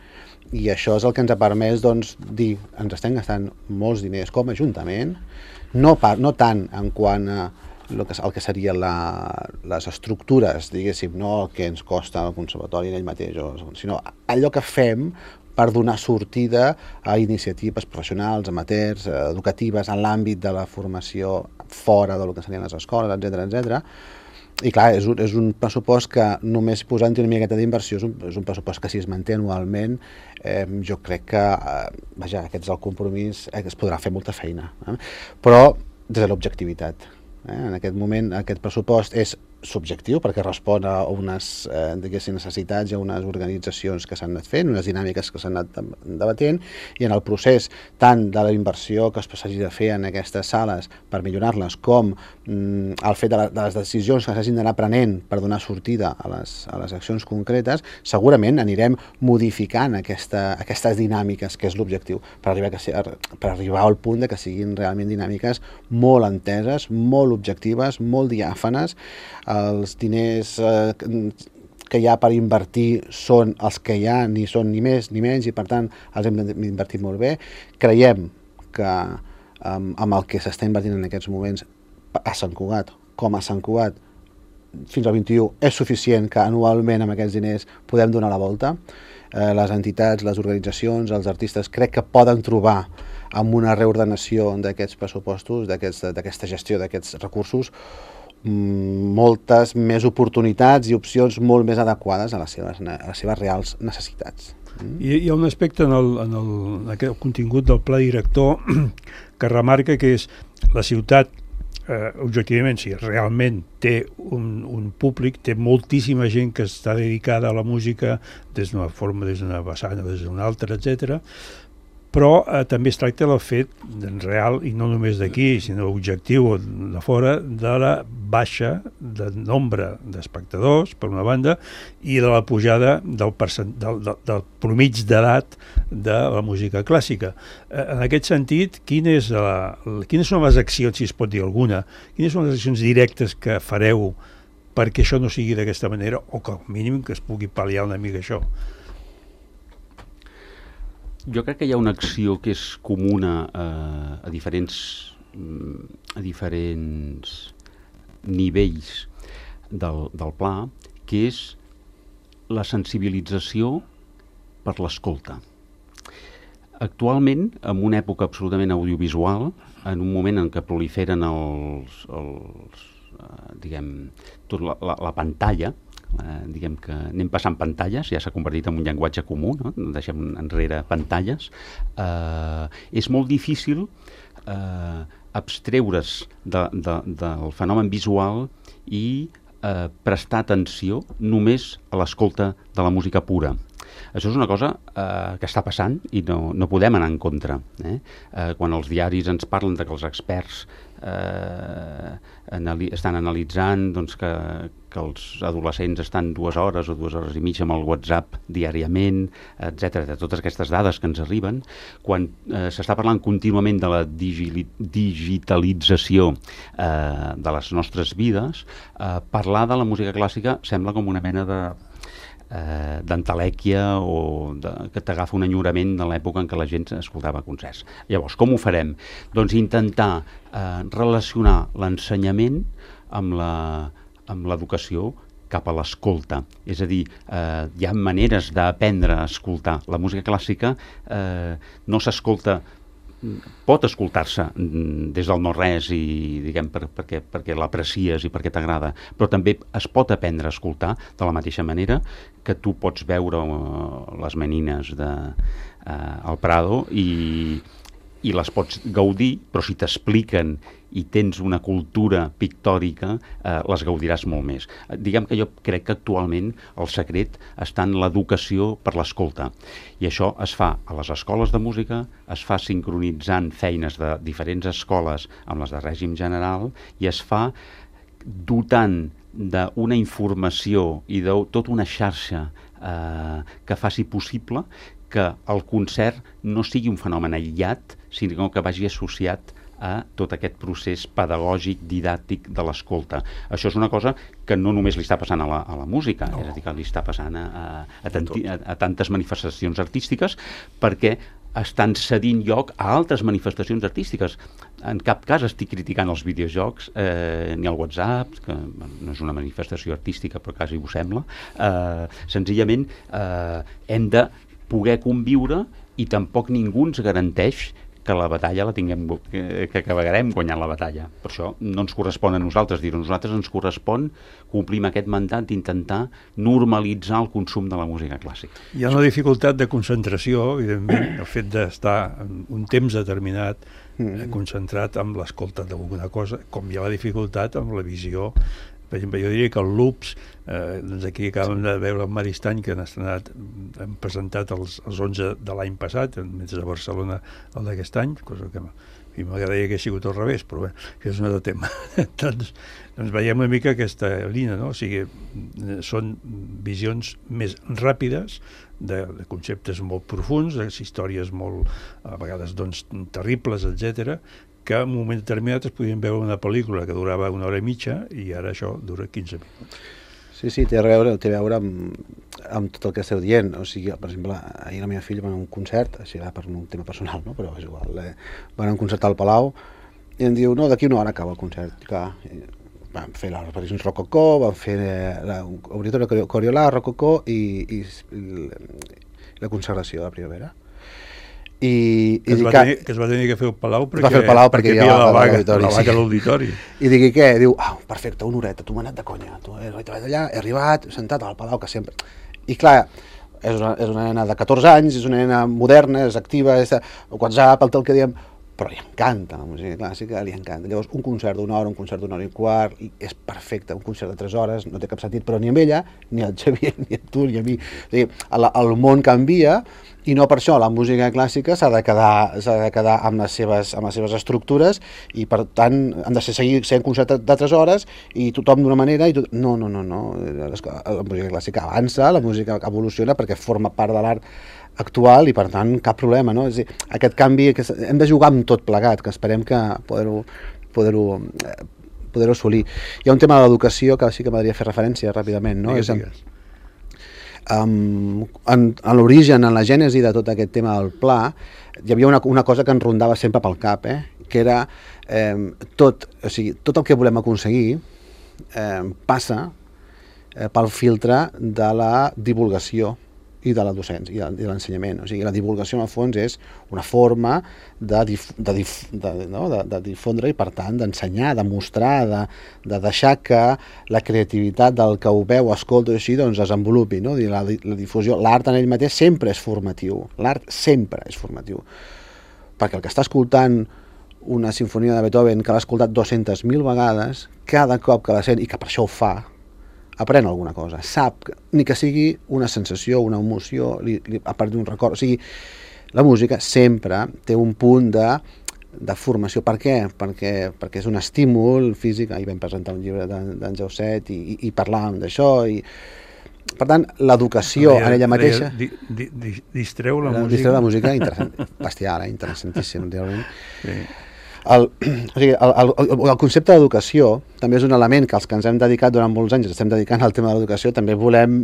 I això és el que ens ha permès doncs, dir ens estem gastant molts diners com a Ajuntament, no, par, no tant en quant a el que, el que serien la, les estructures, diguéssim, no el que ens costa el conservatori en ell mateix, sinó allò que fem per donar sortida a iniciatives professionals, amateurs, educatives, en l'àmbit de la formació fora del que serien les escoles, etcètera, etcètera. I clar, és un, és un pressupost que només posant una miqueta d'inversió és, un, és un pressupost que si es manté anualment eh, jo crec que eh, vaja, aquest és el compromís, eh, que es podrà fer molta feina, eh? Però des de l'objectivitat. Eh? En aquest moment aquest pressupost és subjectiu perquè respon a unes eh, necessitats i a unes organitzacions que s'han anat fent, unes dinàmiques que s'han anat debatent i en el procés tant de la inversió que es s'hagi de fer en aquestes sales per millorar-les com mm, el fet de, la, de les decisions que s'hagin d'anar prenent per donar sortida a les, a les accions concretes, segurament anirem modificant aquesta, aquestes dinàmiques que és l'objectiu per arribar, que, per arribar al punt de que siguin realment dinàmiques molt enteses, molt objectives, molt diàfanes. Els diners eh, que hi ha per invertir són els que hi ha, ni són ni més ni menys, i per tant els hem d'invertir molt bé. Creiem que eh, amb el que s'està invertint en aquests moments a Sant Cugat, com a Sant Cugat, fins al vint-i-u, és suficient que anualment amb aquests diners podem donar la volta. Eh, les entitats, les organitzacions, els artistes crec que poden trobar amb una reordenació d'aquests pressupostos, d'aquesta gestió d'aquests recursos, moltes més oportunitats i opcions molt més adequades a les seves, a les seves reals necessitats. Mm. I hi ha un aspecte en el, en el, en el contingut del pla director que remarca que és la ciutat, eh, objectivament, si realment té un, un públic, té moltíssima gent que està dedicada a la música des d'una forma, des d'una vessant o des d'una altra, etcètera, però eh, també es tracta del fet en real, i no només d'aquí, sinó objectiu de fora, de la baixa de nombre d'espectadors, per una banda, i de la pujada del, percent, del, del, del promig d'edat de la música clàssica. Eh, en aquest sentit, quin és la, quines són les accions, si es pot dir alguna, quines són les accions directes que fareu perquè això no sigui d'aquesta manera, o que al mínim que es pugui pal·liar una mica això? Jo crec que hi ha una acció que és comuna a, a diferents a diferents nivells del, del pla, que és la sensibilització per l'escolta. Actualment, en una època absolutament audiovisual, en un moment en què proliferen els, els diguem, tot la, la, la pantalla, Eh, diguem que anem passant pantalles, ja s'ha convertit en un llenguatge comú, no? Deixem enrere pantalles, eh, és molt difícil eh, abstreure's de, de, del fenomen visual i eh, prestar atenció només a l'escolta de la música pura. Això és una cosa eh, que està passant i no, no podem anar en contra. Eh? Eh, quan els diaris ens parlen de que els experts eh, anali estan analitzant doncs, que, que els adolescents estan dues hores o dues hores i mitja amb el WhatsApp diàriament, etcètera, totes aquestes dades que ens arriben, quan eh, s'està parlant contínuament de la digi digitalització eh, de les nostres vides, eh, parlar de la música clàssica sembla com una mena de Eh, d'entelèquia o de, que t'agafa un enyorament de l'època en què la gent escoltava concerts. Llavors, com ho farem? Doncs intentar eh, relacionar l'ensenyament amb la, amb l'educació cap a l'escolta. És a dir, eh, hi ha maneres d'aprendre a escoltar. La música clàssica eh, no s'escolta, pot escoltar-se des del no-res i, diguem, per, perquè, perquè l'aprecies i perquè t'agrada, però també es pot aprendre a escoltar de la mateixa manera que tu pots veure uh, les menines de, uh, al Prado i, i les pots gaudir, però si t'expliquen i tens una cultura pictòrica, eh, les gaudiràs molt més. Eh, diguem que jo crec que actualment el secret està en l'educació per l'escolta. I això es fa a les escoles de música, es fa sincronitzant feines de diferents escoles amb les de règim general i es fa dotant d'una informació i de tota una xarxa eh, que faci possible que el concert no sigui un fenomen aïllat, sinó que vagi associat a tot aquest procés pedagògic, didàctic de l'escolta. Això és una cosa que no només li està passant a la, a la música, no. És a dir, que li està passant a, a, a, tanti, a, a tantes manifestacions artístiques, perquè estan cedint lloc a altres manifestacions artístiques. En cap cas estic criticant els videojocs, eh, ni el WhatsApp, que no és una manifestació artística, però quasi ho sembla. Eh, senzillament eh, hem de poder conviure i tampoc ningú ens garanteix que la batalla la tinguem, que, que acabarem guanyant la batalla. Per això no ens correspon a nosaltres dir-ho. A nosaltres ens correspon complir amb aquest mandat d'intentar normalitzar el consum de la música clàssica. Hi ha una dificultat de concentració, evidentment, el fet d'estar un temps determinat mm. concentrat amb l'escolta d'alguna cosa, com hi ha la dificultat amb la visió. Per exemple, jo diria que el Loops, eh, doncs aquí acabem de veure el Maristany, que han, estrenat, han presentat els, els onze de l'any passat, mentre a Barcelona el d'aquest any, cosa que m'agradaria que hagués sigut al revés, però bé, que és un altre tema. doncs, doncs veiem una mica aquesta línia, no? O sigui, són visions més ràpides de, de conceptes molt profuns, de històries molt, a vegades, doncs, terribles, etcètera, que en un moment determinat es podien veure una pel·lícula que durava una hora i mitja i ara això dura quinze minuts. Sí, sí, té a veure, té a veure amb, amb tot el que esteu dient. O sigui, per exemple, ahir la meva filla va anar a un concert, així va per un tema personal, no? Però és igual, eh? Va anar a un concert al Palau i em diu, no, d'aquí una hora acaba el concert. I, clar, van fer les repeticions Rococó, van fer l'obritori Coriolà, Rococó i, i, i la consagració de la primavera. I, que, i es dic, tenir, que es va tenir que fer el Palau perquè, va fer el Palau perquè, perquè hi havia la vaga, la vaga a l'auditori. I digui què? Diu, ah, perfecte, una horeta, tu m'ha anat de conya. Tu he arribat allà, he arribat, sentat al Palau, que sempre... I clar, és una, és una nena de catorze anys, és una nena moderna, és activa, és WhatsApp, el tal que diem, però li encanta la música clàssica, li encanta. Llavors, un concert d'una hora, un concert d'una hora i quart, i és perfecte, un concert de tres hores, no té cap sentit, però ni amb ella, ni al Xavier, ni a tu, ni a mi. O sigui, el, el món canvia, i no per això la música clàssica s'ha de quedar, s'ha de quedar amb, les seves, amb les seves estructures i per tant han de ser, seguir sent concert de tres hores i tothom d'una manera i tot... no, no, no, no. La música clàssica avança, la música evoluciona perquè forma part de l'art actual i per tant cap problema, no? És a dir, aquest canvi que hem de jugar amb tot plegat, que esperem que poder-ho poder-ho poder-ho assolir. Hi ha un tema de l'educació que sí que m'agradaria fer referència ràpidament, no? Digues, és digues. Um, en, en l'origen, en la gènesi de tot aquest tema del pla, hi havia una, una cosa que ens rondava sempre pel cap, eh? Que era eh, tot, o sigui, tot el que volem aconseguir eh, passa eh, pel filtre de la divulgació i de la docència i de, de l'ensenyament. O sigui, la divulgació en el fons és una forma de, dif, de, dif, de, no? de, de difondre i per tant d'ensenyar, de mostrar, de, de deixar que la creativitat del que ho veu, escolta i així, doncs es desenvolupi, no? La, la difusió, l'art en ell mateix sempre és formatiu, l'art sempre és formatiu, perquè el que està escoltant una sinfonia de Beethoven que l'ha escoltat dues-centes mil vegades, cada cop que la sent i que per això ho fa, aprèn alguna cosa, sap, ni que sigui una sensació, una emoció, li, li, a part d'un record. O sigui, la música sempre té un punt de, de formació. Per què? Perquè, perquè és un estímul físic. Ahir vam presentar un llibre d'en Jauset i, i, i parlàvem d'això. I, per tant, l'educació en ella mateixa... Di, di, di, distreu la, la música. Distreu la música, interessant, bestial, eh? Interessantíssim, realment. Sí. El, o sigui, el, el, el concepte d'educació també és un element que els que ens hem dedicat durant molts anys, estem dedicant al tema de l'educació, també volem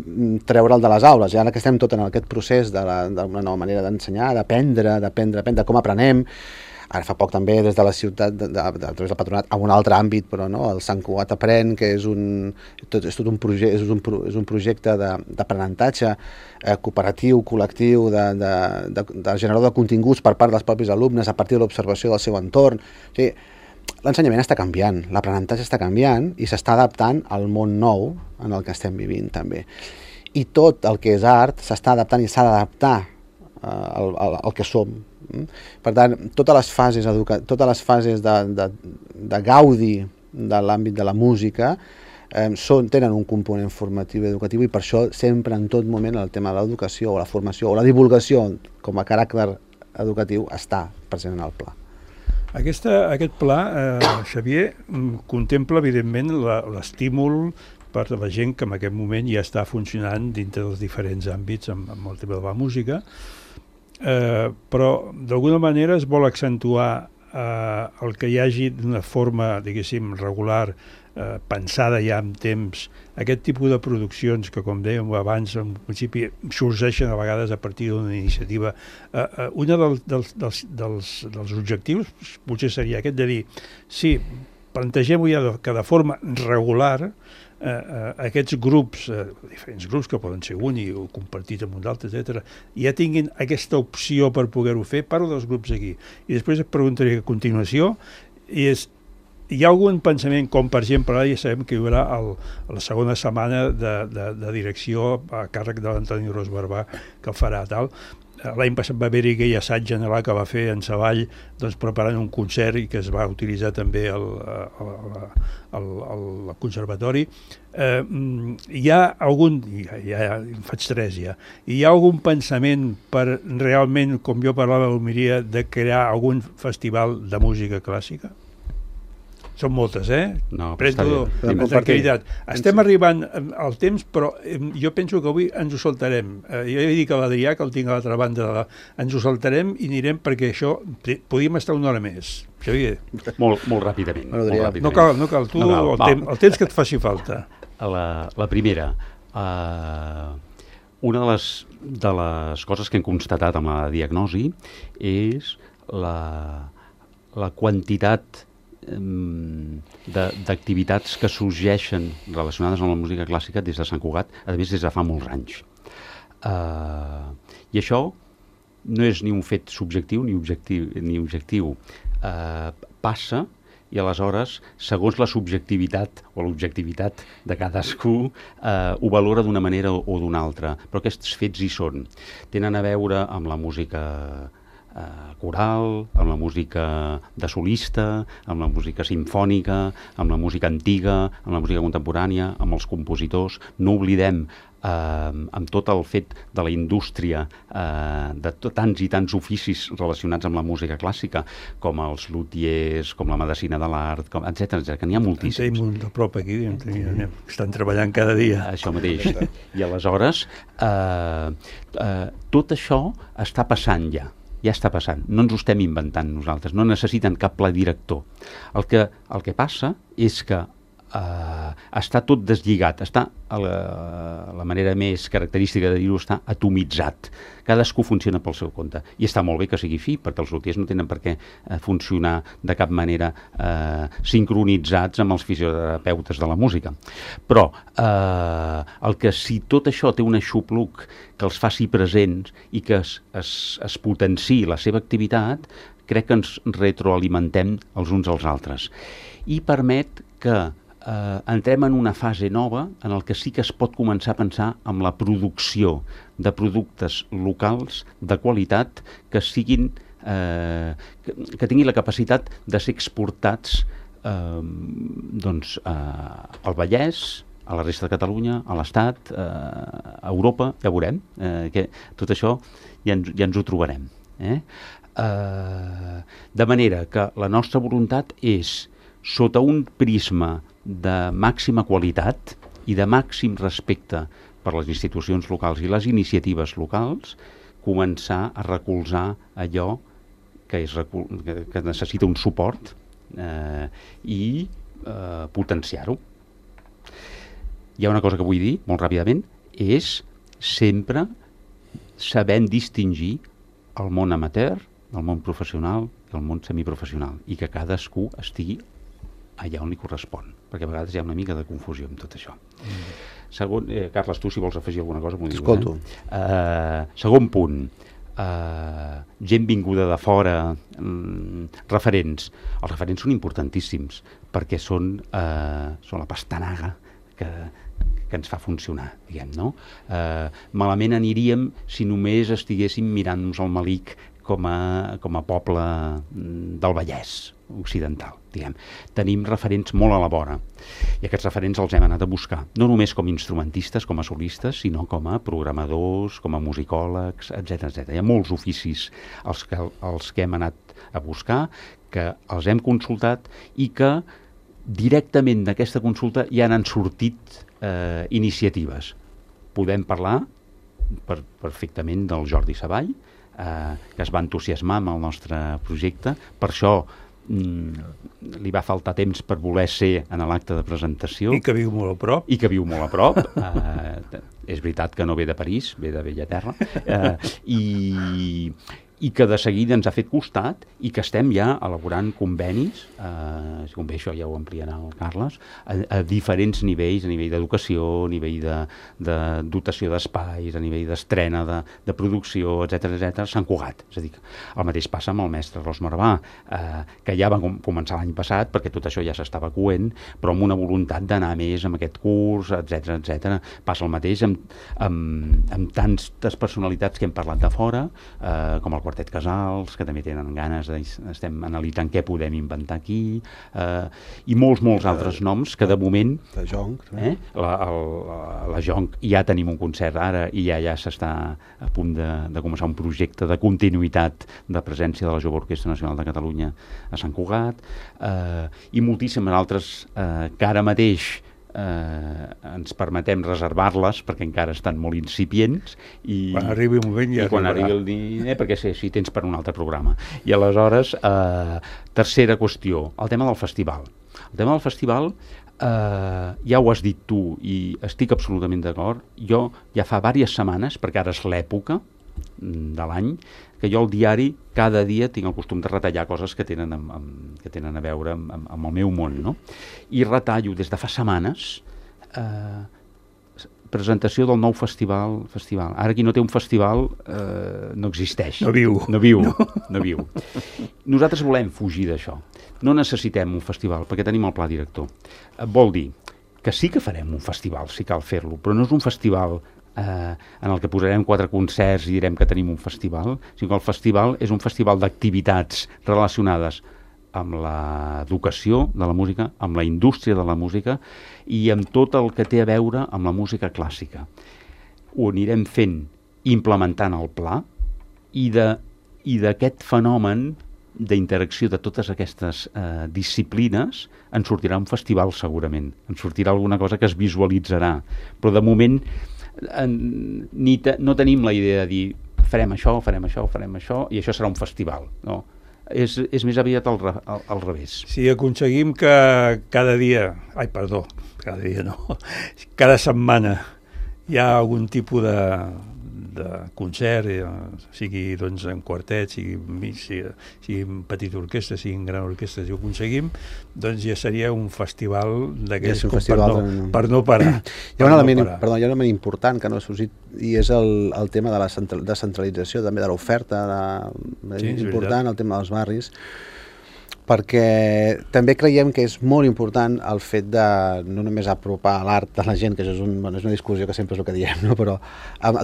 treure'l de les aules. I ara que estem tot en aquest procés d'una nova manera d'ensenyar, d'aprendre, d'aprendre, d'aprendre com aprenem, Ara fa poc també des de la ciutat, de, de, de, a través del patronat, a un altre àmbit, però no, el Sant Cugat Aprèn, que és un, tot, és tot un, proje, és un, és un projecte d'aprenentatge eh, cooperatiu, col·lectiu, de, de, de, de generador de continguts per part dels propis alumnes a partir de l'observació del seu entorn. O sigui, l'ensenyament està canviant, l'aprenentatge està canviant i s'està adaptant al món nou en el que estem vivint també. I tot el que és art s'està adaptant i s'ha d'adaptar uh, al, al, al que som. Per tant, totes les fases, educa totes les fases de, de, de gaudi de l'àmbit de la música eh, són, tenen un component formatiu i educatiu, i per això sempre en tot moment el tema de l'educació o la formació o la divulgació com a caràcter educatiu està present en el pla. Aquesta, aquest pla, eh, Xavier, contempla evidentment l'estímul per a la gent que en aquest moment ja està funcionant dintre dels diferents àmbits amb, amb el tema de la música, eh, però d'alguna manera es vol accentuar eh, el que hi hagi d'una forma, diguéssim, regular, eh, pensada ja amb temps, aquest tipus de produccions que, com dèiem abans, en principi sorgeixen a vegades a partir d'una iniciativa. Eh, eh, una del, dels, dels, dels, dels objectius potser seria aquest de dir, sí, plantegem ja que de forma regular eh, eh, aquests grups, eh, diferents grups que poden ser uni o compartits amb un altre, etcètera, ja tinguin aquesta opció per poder-ho fer. Parlo dels grups aquí. I després et preguntaré a continuació, i és, hi ha algun pensament, com per exemple, ara ja sabem que hi haurà el, la segona setmana de, de, de direcció a càrrec de l'Antoni Ros Barbà, que el farà tal. L'any passat va haver-hi aquell assaig general que va fer en Savall, doncs, preparant un concert i que es va utilitzar també al, al, al, al conservatori. Eh, hi ha algun, ja, ja en faig tres ja, hi ha algun pensament per realment, com jo parlava a l'Almeria, de crear algun festival de música clàssica? Són moltes, eh? No, Prendo amb tranquil·litat. Estem arribant al temps, però jo penso que avui ens ho saltarem. Eh, jo he dit a l'Adrià, que el tinc a l'altra banda, de la... ens ho saltarem i anirem, perquè això podíem estar una hora més. Xavier. Molt, molt ràpidament. Molt ràpidament. No cal, no cal. Tu, no cal. El, temps, el temps que et faci falta. La, la primera, uh, una de les, de les coses que hem constatat amb la diagnosi és la, la quantitat d'activitats que sorgeixen relacionades amb la música clàssica des de Sant Cugat, a més des de fa molts anys. Uh, I això no és ni un fet subjectiu ni objectiu, ni objectiu. Uh, passa, i aleshores, segons la subjectivitat o l'objectivitat de cadascú, uh, ho valora d'una manera o d'una altra. Però aquests fets hi són. Tenen a veure amb la música Uh, coral, amb la música de solista, amb la música simfònica, amb la música antiga, amb la música contemporània, amb els compositors. No oblidem, uh, amb tot el fet de la indústria, uh, de tants i tants oficis relacionats amb la música clàssica, com els luthiers, com la medicina de l'art, etcètera, etcètera, que n'hi ha moltíssims. En tenim un de prop aquí, estan treballant cada dia. Això mateix. I aleshores, uh, uh, tot això està passant ja. Ja està passant, no ens ho estem inventant nosaltres, no necessiten cap pla director. El que, el que passa és que eh, està tot deslligat, està, a la, la manera més característica de dir-ho, està atomitzat. Cadascú funciona pel seu compte. I està molt bé que sigui fi, perquè els luthiers no tenen per què eh, funcionar de cap manera eh, sincronitzats amb els fisioterapeutes de la música. Però eh, el que si tot això té un aixopluc que els faci presents i que es, es, es potenciï la seva activitat, crec que ens retroalimentem els uns als altres. I permet que eh, entrem en una fase nova en el que sí que es pot començar a pensar en la producció de productes locals de qualitat que siguin eh, que, que tinguin la capacitat de ser exportats eh, doncs, eh, al Vallès, a la resta de Catalunya, a l'Estat, eh, a Europa, ja veurem, eh, que tot això ja ens, ja ens ho trobarem. Eh? Eh, de manera que la nostra voluntat és, sota un prisma de màxima qualitat i de màxim respecte per les institucions locals i les iniciatives locals, començar a recolzar allò que, és, que, que necessita un suport eh, i eh, potenciar-ho. Hi ha una cosa que vull dir, molt ràpidament, és sempre sabent distingir el món amateur el món professional i el món semiprofessional, i que cadascú estigui allà on li correspon, perquè a vegades hi ha una mica de confusió amb tot això. Mm. Segon, eh, Carles, tu si vols afegir alguna cosa m'ho dius. Escolto. Eh? Uh, segon punt, uh, gent vinguda de fora, um, referents. Els referents són importantíssims, perquè són, uh, són la pastanaga que, que ens fa funcionar, diguem, no? Uh, malament aniríem si només estiguéssim mirant-nos al malic com a, com a poble del Vallès occidental, diguem. Tenim referents molt a la vora, i aquests referents els hem anat a buscar, no només com instrumentistes, com a solistes, sinó com a programadors, com a musicòlegs, etcètera etcètera. Hi ha molts oficis els que, els que hem anat a buscar, que els hem consultat i que directament d'aquesta consulta ja n'han sortit eh, iniciatives. Podem parlar per, perfectament del Jordi Savall, eh, que es va entusiasmar amb el nostre projecte. Per això mm, li va faltar temps per voler ser en l'acte de presentació. I que viu molt a prop. I que viu molt a prop. Eh, és veritat que no ve de París, ve de Bellaterra. Eh, i... i que de seguida ens ha fet costat i que estem ja elaborant convenis, eh, si convé això ja ho ampliarà el Carles, a, a diferents nivells, a nivell d'educació, a nivell de, de dotació d'espais, a nivell d'estrena, de, de producció, etcètera etcètera, Sant Cugat. És a dir, el mateix passa amb el mestre Ros Marvà, eh, que ja va com començar l'any passat, perquè tot això ja s'estava coent, però amb una voluntat d'anar més amb aquest curs, etcètera etcètera. Passa el mateix amb, amb, amb tantes personalitats que hem parlat de fora, eh, com el Quartet Casals, que també tenen ganes de, estem analitzant què podem inventar aquí, eh, i molts, molts altres noms que de moment... La Jonc. Eh, la, el, la, la Jonc, ja tenim un concert ara i ja ja s'està a punt de, de començar un projecte de continuïtat de presència de la Jove Orquestra Nacional de Catalunya a Sant Cugat, eh, i moltíssimes altres eh, que ara mateix Eh, ens permetem reservar-les perquè encara estan molt incipients i quan arribi un moment ja i quan arribi el diner, perquè si, si tens per un altre programa. I aleshores, eh, tercera qüestió, el tema del festival. El tema del festival, eh, ja ho has dit tu i estic absolutament d'acord. Jo ja fa diverses setmanes, perquè ara és l'època de l'any, que jo al diari cada dia tinc el costum de retallar coses que tenen, amb, amb, que tenen a veure amb, amb, amb el meu món, no? I retallo des de fa setmanes eh, presentació del nou festival, festival. Ara qui no té un festival eh, no existeix. No viu. No viu, no. no viu. Nosaltres volem fugir d'això. No necessitem un festival perquè tenim el pla director. Eh, vol dir que sí que farem un festival, si cal fer-lo, però no és un festival Eh, en el que posarem quatre concerts i direm que tenim un festival, sinó que el festival és un festival d'activitats relacionades amb l'educació de la música, amb la indústria de la música i amb tot el que té a veure amb la música clàssica. Ho anirem fent implementant el pla i de, i d'aquest fenomen d'interacció de totes aquestes eh, disciplines en sortirà un festival segurament, en sortirà alguna cosa que es visualitzarà, però de moment En, ni te, no tenim la idea de dir farem això, farem això, farem això i això serà un festival, no. És, és més aviat al, al, al revés. Si aconseguim que cada dia, ai perdó, cada dia no, cada setmana hi ha algun tipus de, de concert, sigui doncs en quartet, sigui, sigui, sigui en petita orquestra, sigui en gran orquestra, si ho aconseguim, doncs ja seria un festival d'aquells ja com festival per, no, de... per no parar. Hi ha un element, no perdó, hi ha un element important que no ha sorgit i és el, el tema de la descentralització també de l'oferta, de, sí, és important el tema dels barris, perquè també creiem que és molt important el fet de no només apropar l'art a la gent, que això és, un, bueno, és una discussió que sempre és el que diem, no? Però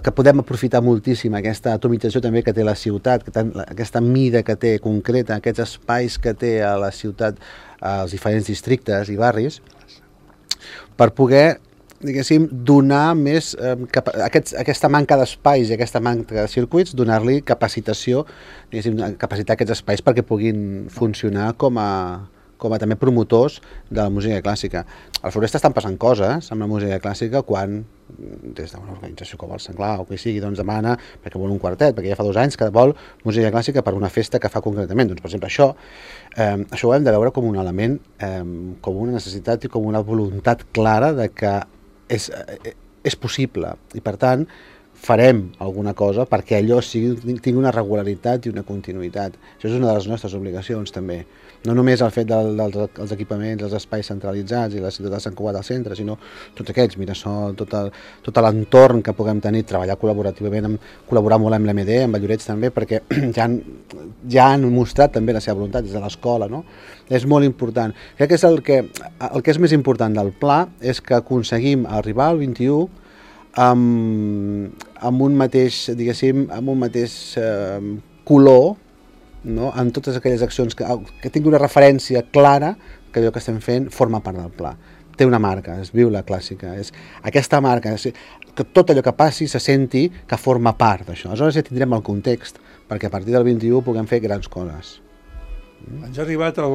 que podem aprofitar moltíssim aquesta atomització també que té la ciutat, que ten, aquesta mida que té concreta, aquests espais que té a la ciutat, als diferents districtes i barris, per poder, diguéssim, donar més, eh, cap, aquests, aquesta manca d'espais i aquesta manca de circuits, donar-li capacitació, diguéssim, capacitar aquests espais perquè puguin funcionar com a, com a també promotors de la música clàssica. Al Floresta estan passant coses amb la música clàssica quan, des d'una organització com el Senglar o que sigui, doncs demana, perquè vol un quartet, perquè ja fa dos anys que vol música clàssica per una festa que fa concretament. Doncs, per exemple, això, eh, això ho hem de veure com un element, eh, com una necessitat i com una voluntat clara de que És, és possible i per tant farem alguna cosa perquè allò sigui, tingui una regularitat i una continuïtat. Això és una de les nostres obligacions també. No només el fet del, dels, dels equipaments, els espais centralitzats i la ciutat de Sant Cugat al centre, sinó tots aquests, Mirasol, tot, el, tot l'entorn que puguem tenir, treballar col·laborativament, amb, col·laborar molt amb l'M D, amb el Llorets també, perquè ja han, ja han mostrat també la seva voluntat des de l'escola, no? És molt important. Crec que és el que, el que és més important del pla és que aconseguim arribar al vint-i-u amb, amb un mateix, diguéssim, amb un mateix eh, color, no? En totes aquelles accions que, que tingui una referència clara que allò que estem fent forma part del pla. Té una marca, es viu la clàssica. És aquesta marca, és, que tot allò que passi se senti que forma part d'això. Aleshores ja tindrem el context perquè a partir del vint-i-u puguem fer grans coses. Ens ha arribat el,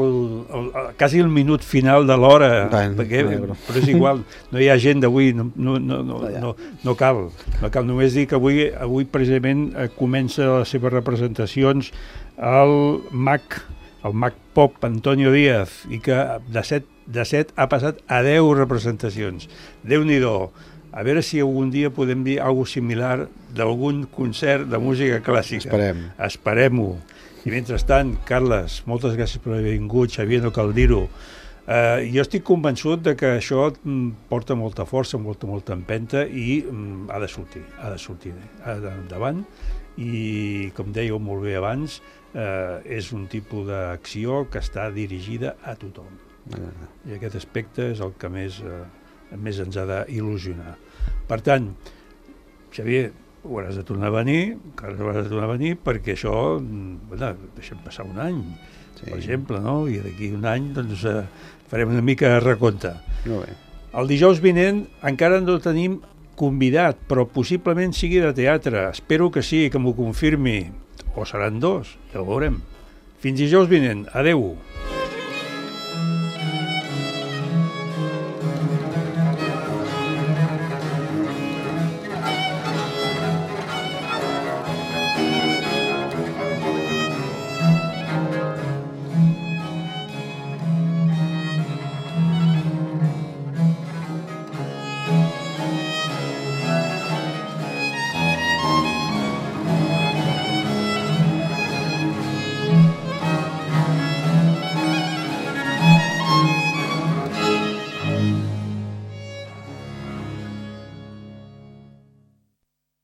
el, el, quasi el minut final de l'hora, perquè, però és igual, no hi ha gent d'avui, no, no, no, no, no, no cal. No cal només dir que avui, avui precisament comença les seves representacions el mag, el mag pop Antonio Díaz, i que de set, de set ha passat a deu representacions. Déu-n'hi-do. A veure si algun dia podem dir alguna similar d'algun concert de música clàssica. Esperem. Esperem-ho. I mentrestant, Carles, moltes gràcies per haver vingut, Xavier, no cal dir-ho. Uh, jo estic convençut de que això porta molta força, molta, molta empenta i um, ha de sortir, ha de sortir ha endavant. I, com dèieu molt bé abans, uh, és un tipus d'acció que està dirigida a tothom. Uh. I aquest aspecte és el que més, uh, més ens ha d'il·lusionar. Per tant, Xavier, hauràs de tornar a venir, encara hauràs de tornar a venir, perquè això, bueno, deixem passar un any, sí. Per exemple, no? I d'aquí un any doncs, eh, farem una mica de recompte. Molt bé. El dijous vinent encara no tenim convidat, però possiblement sigui de teatre. Espero que sí, que m'ho confirmi. O seran dos, ja ho veurem. Fins dijous vinent. Adeu.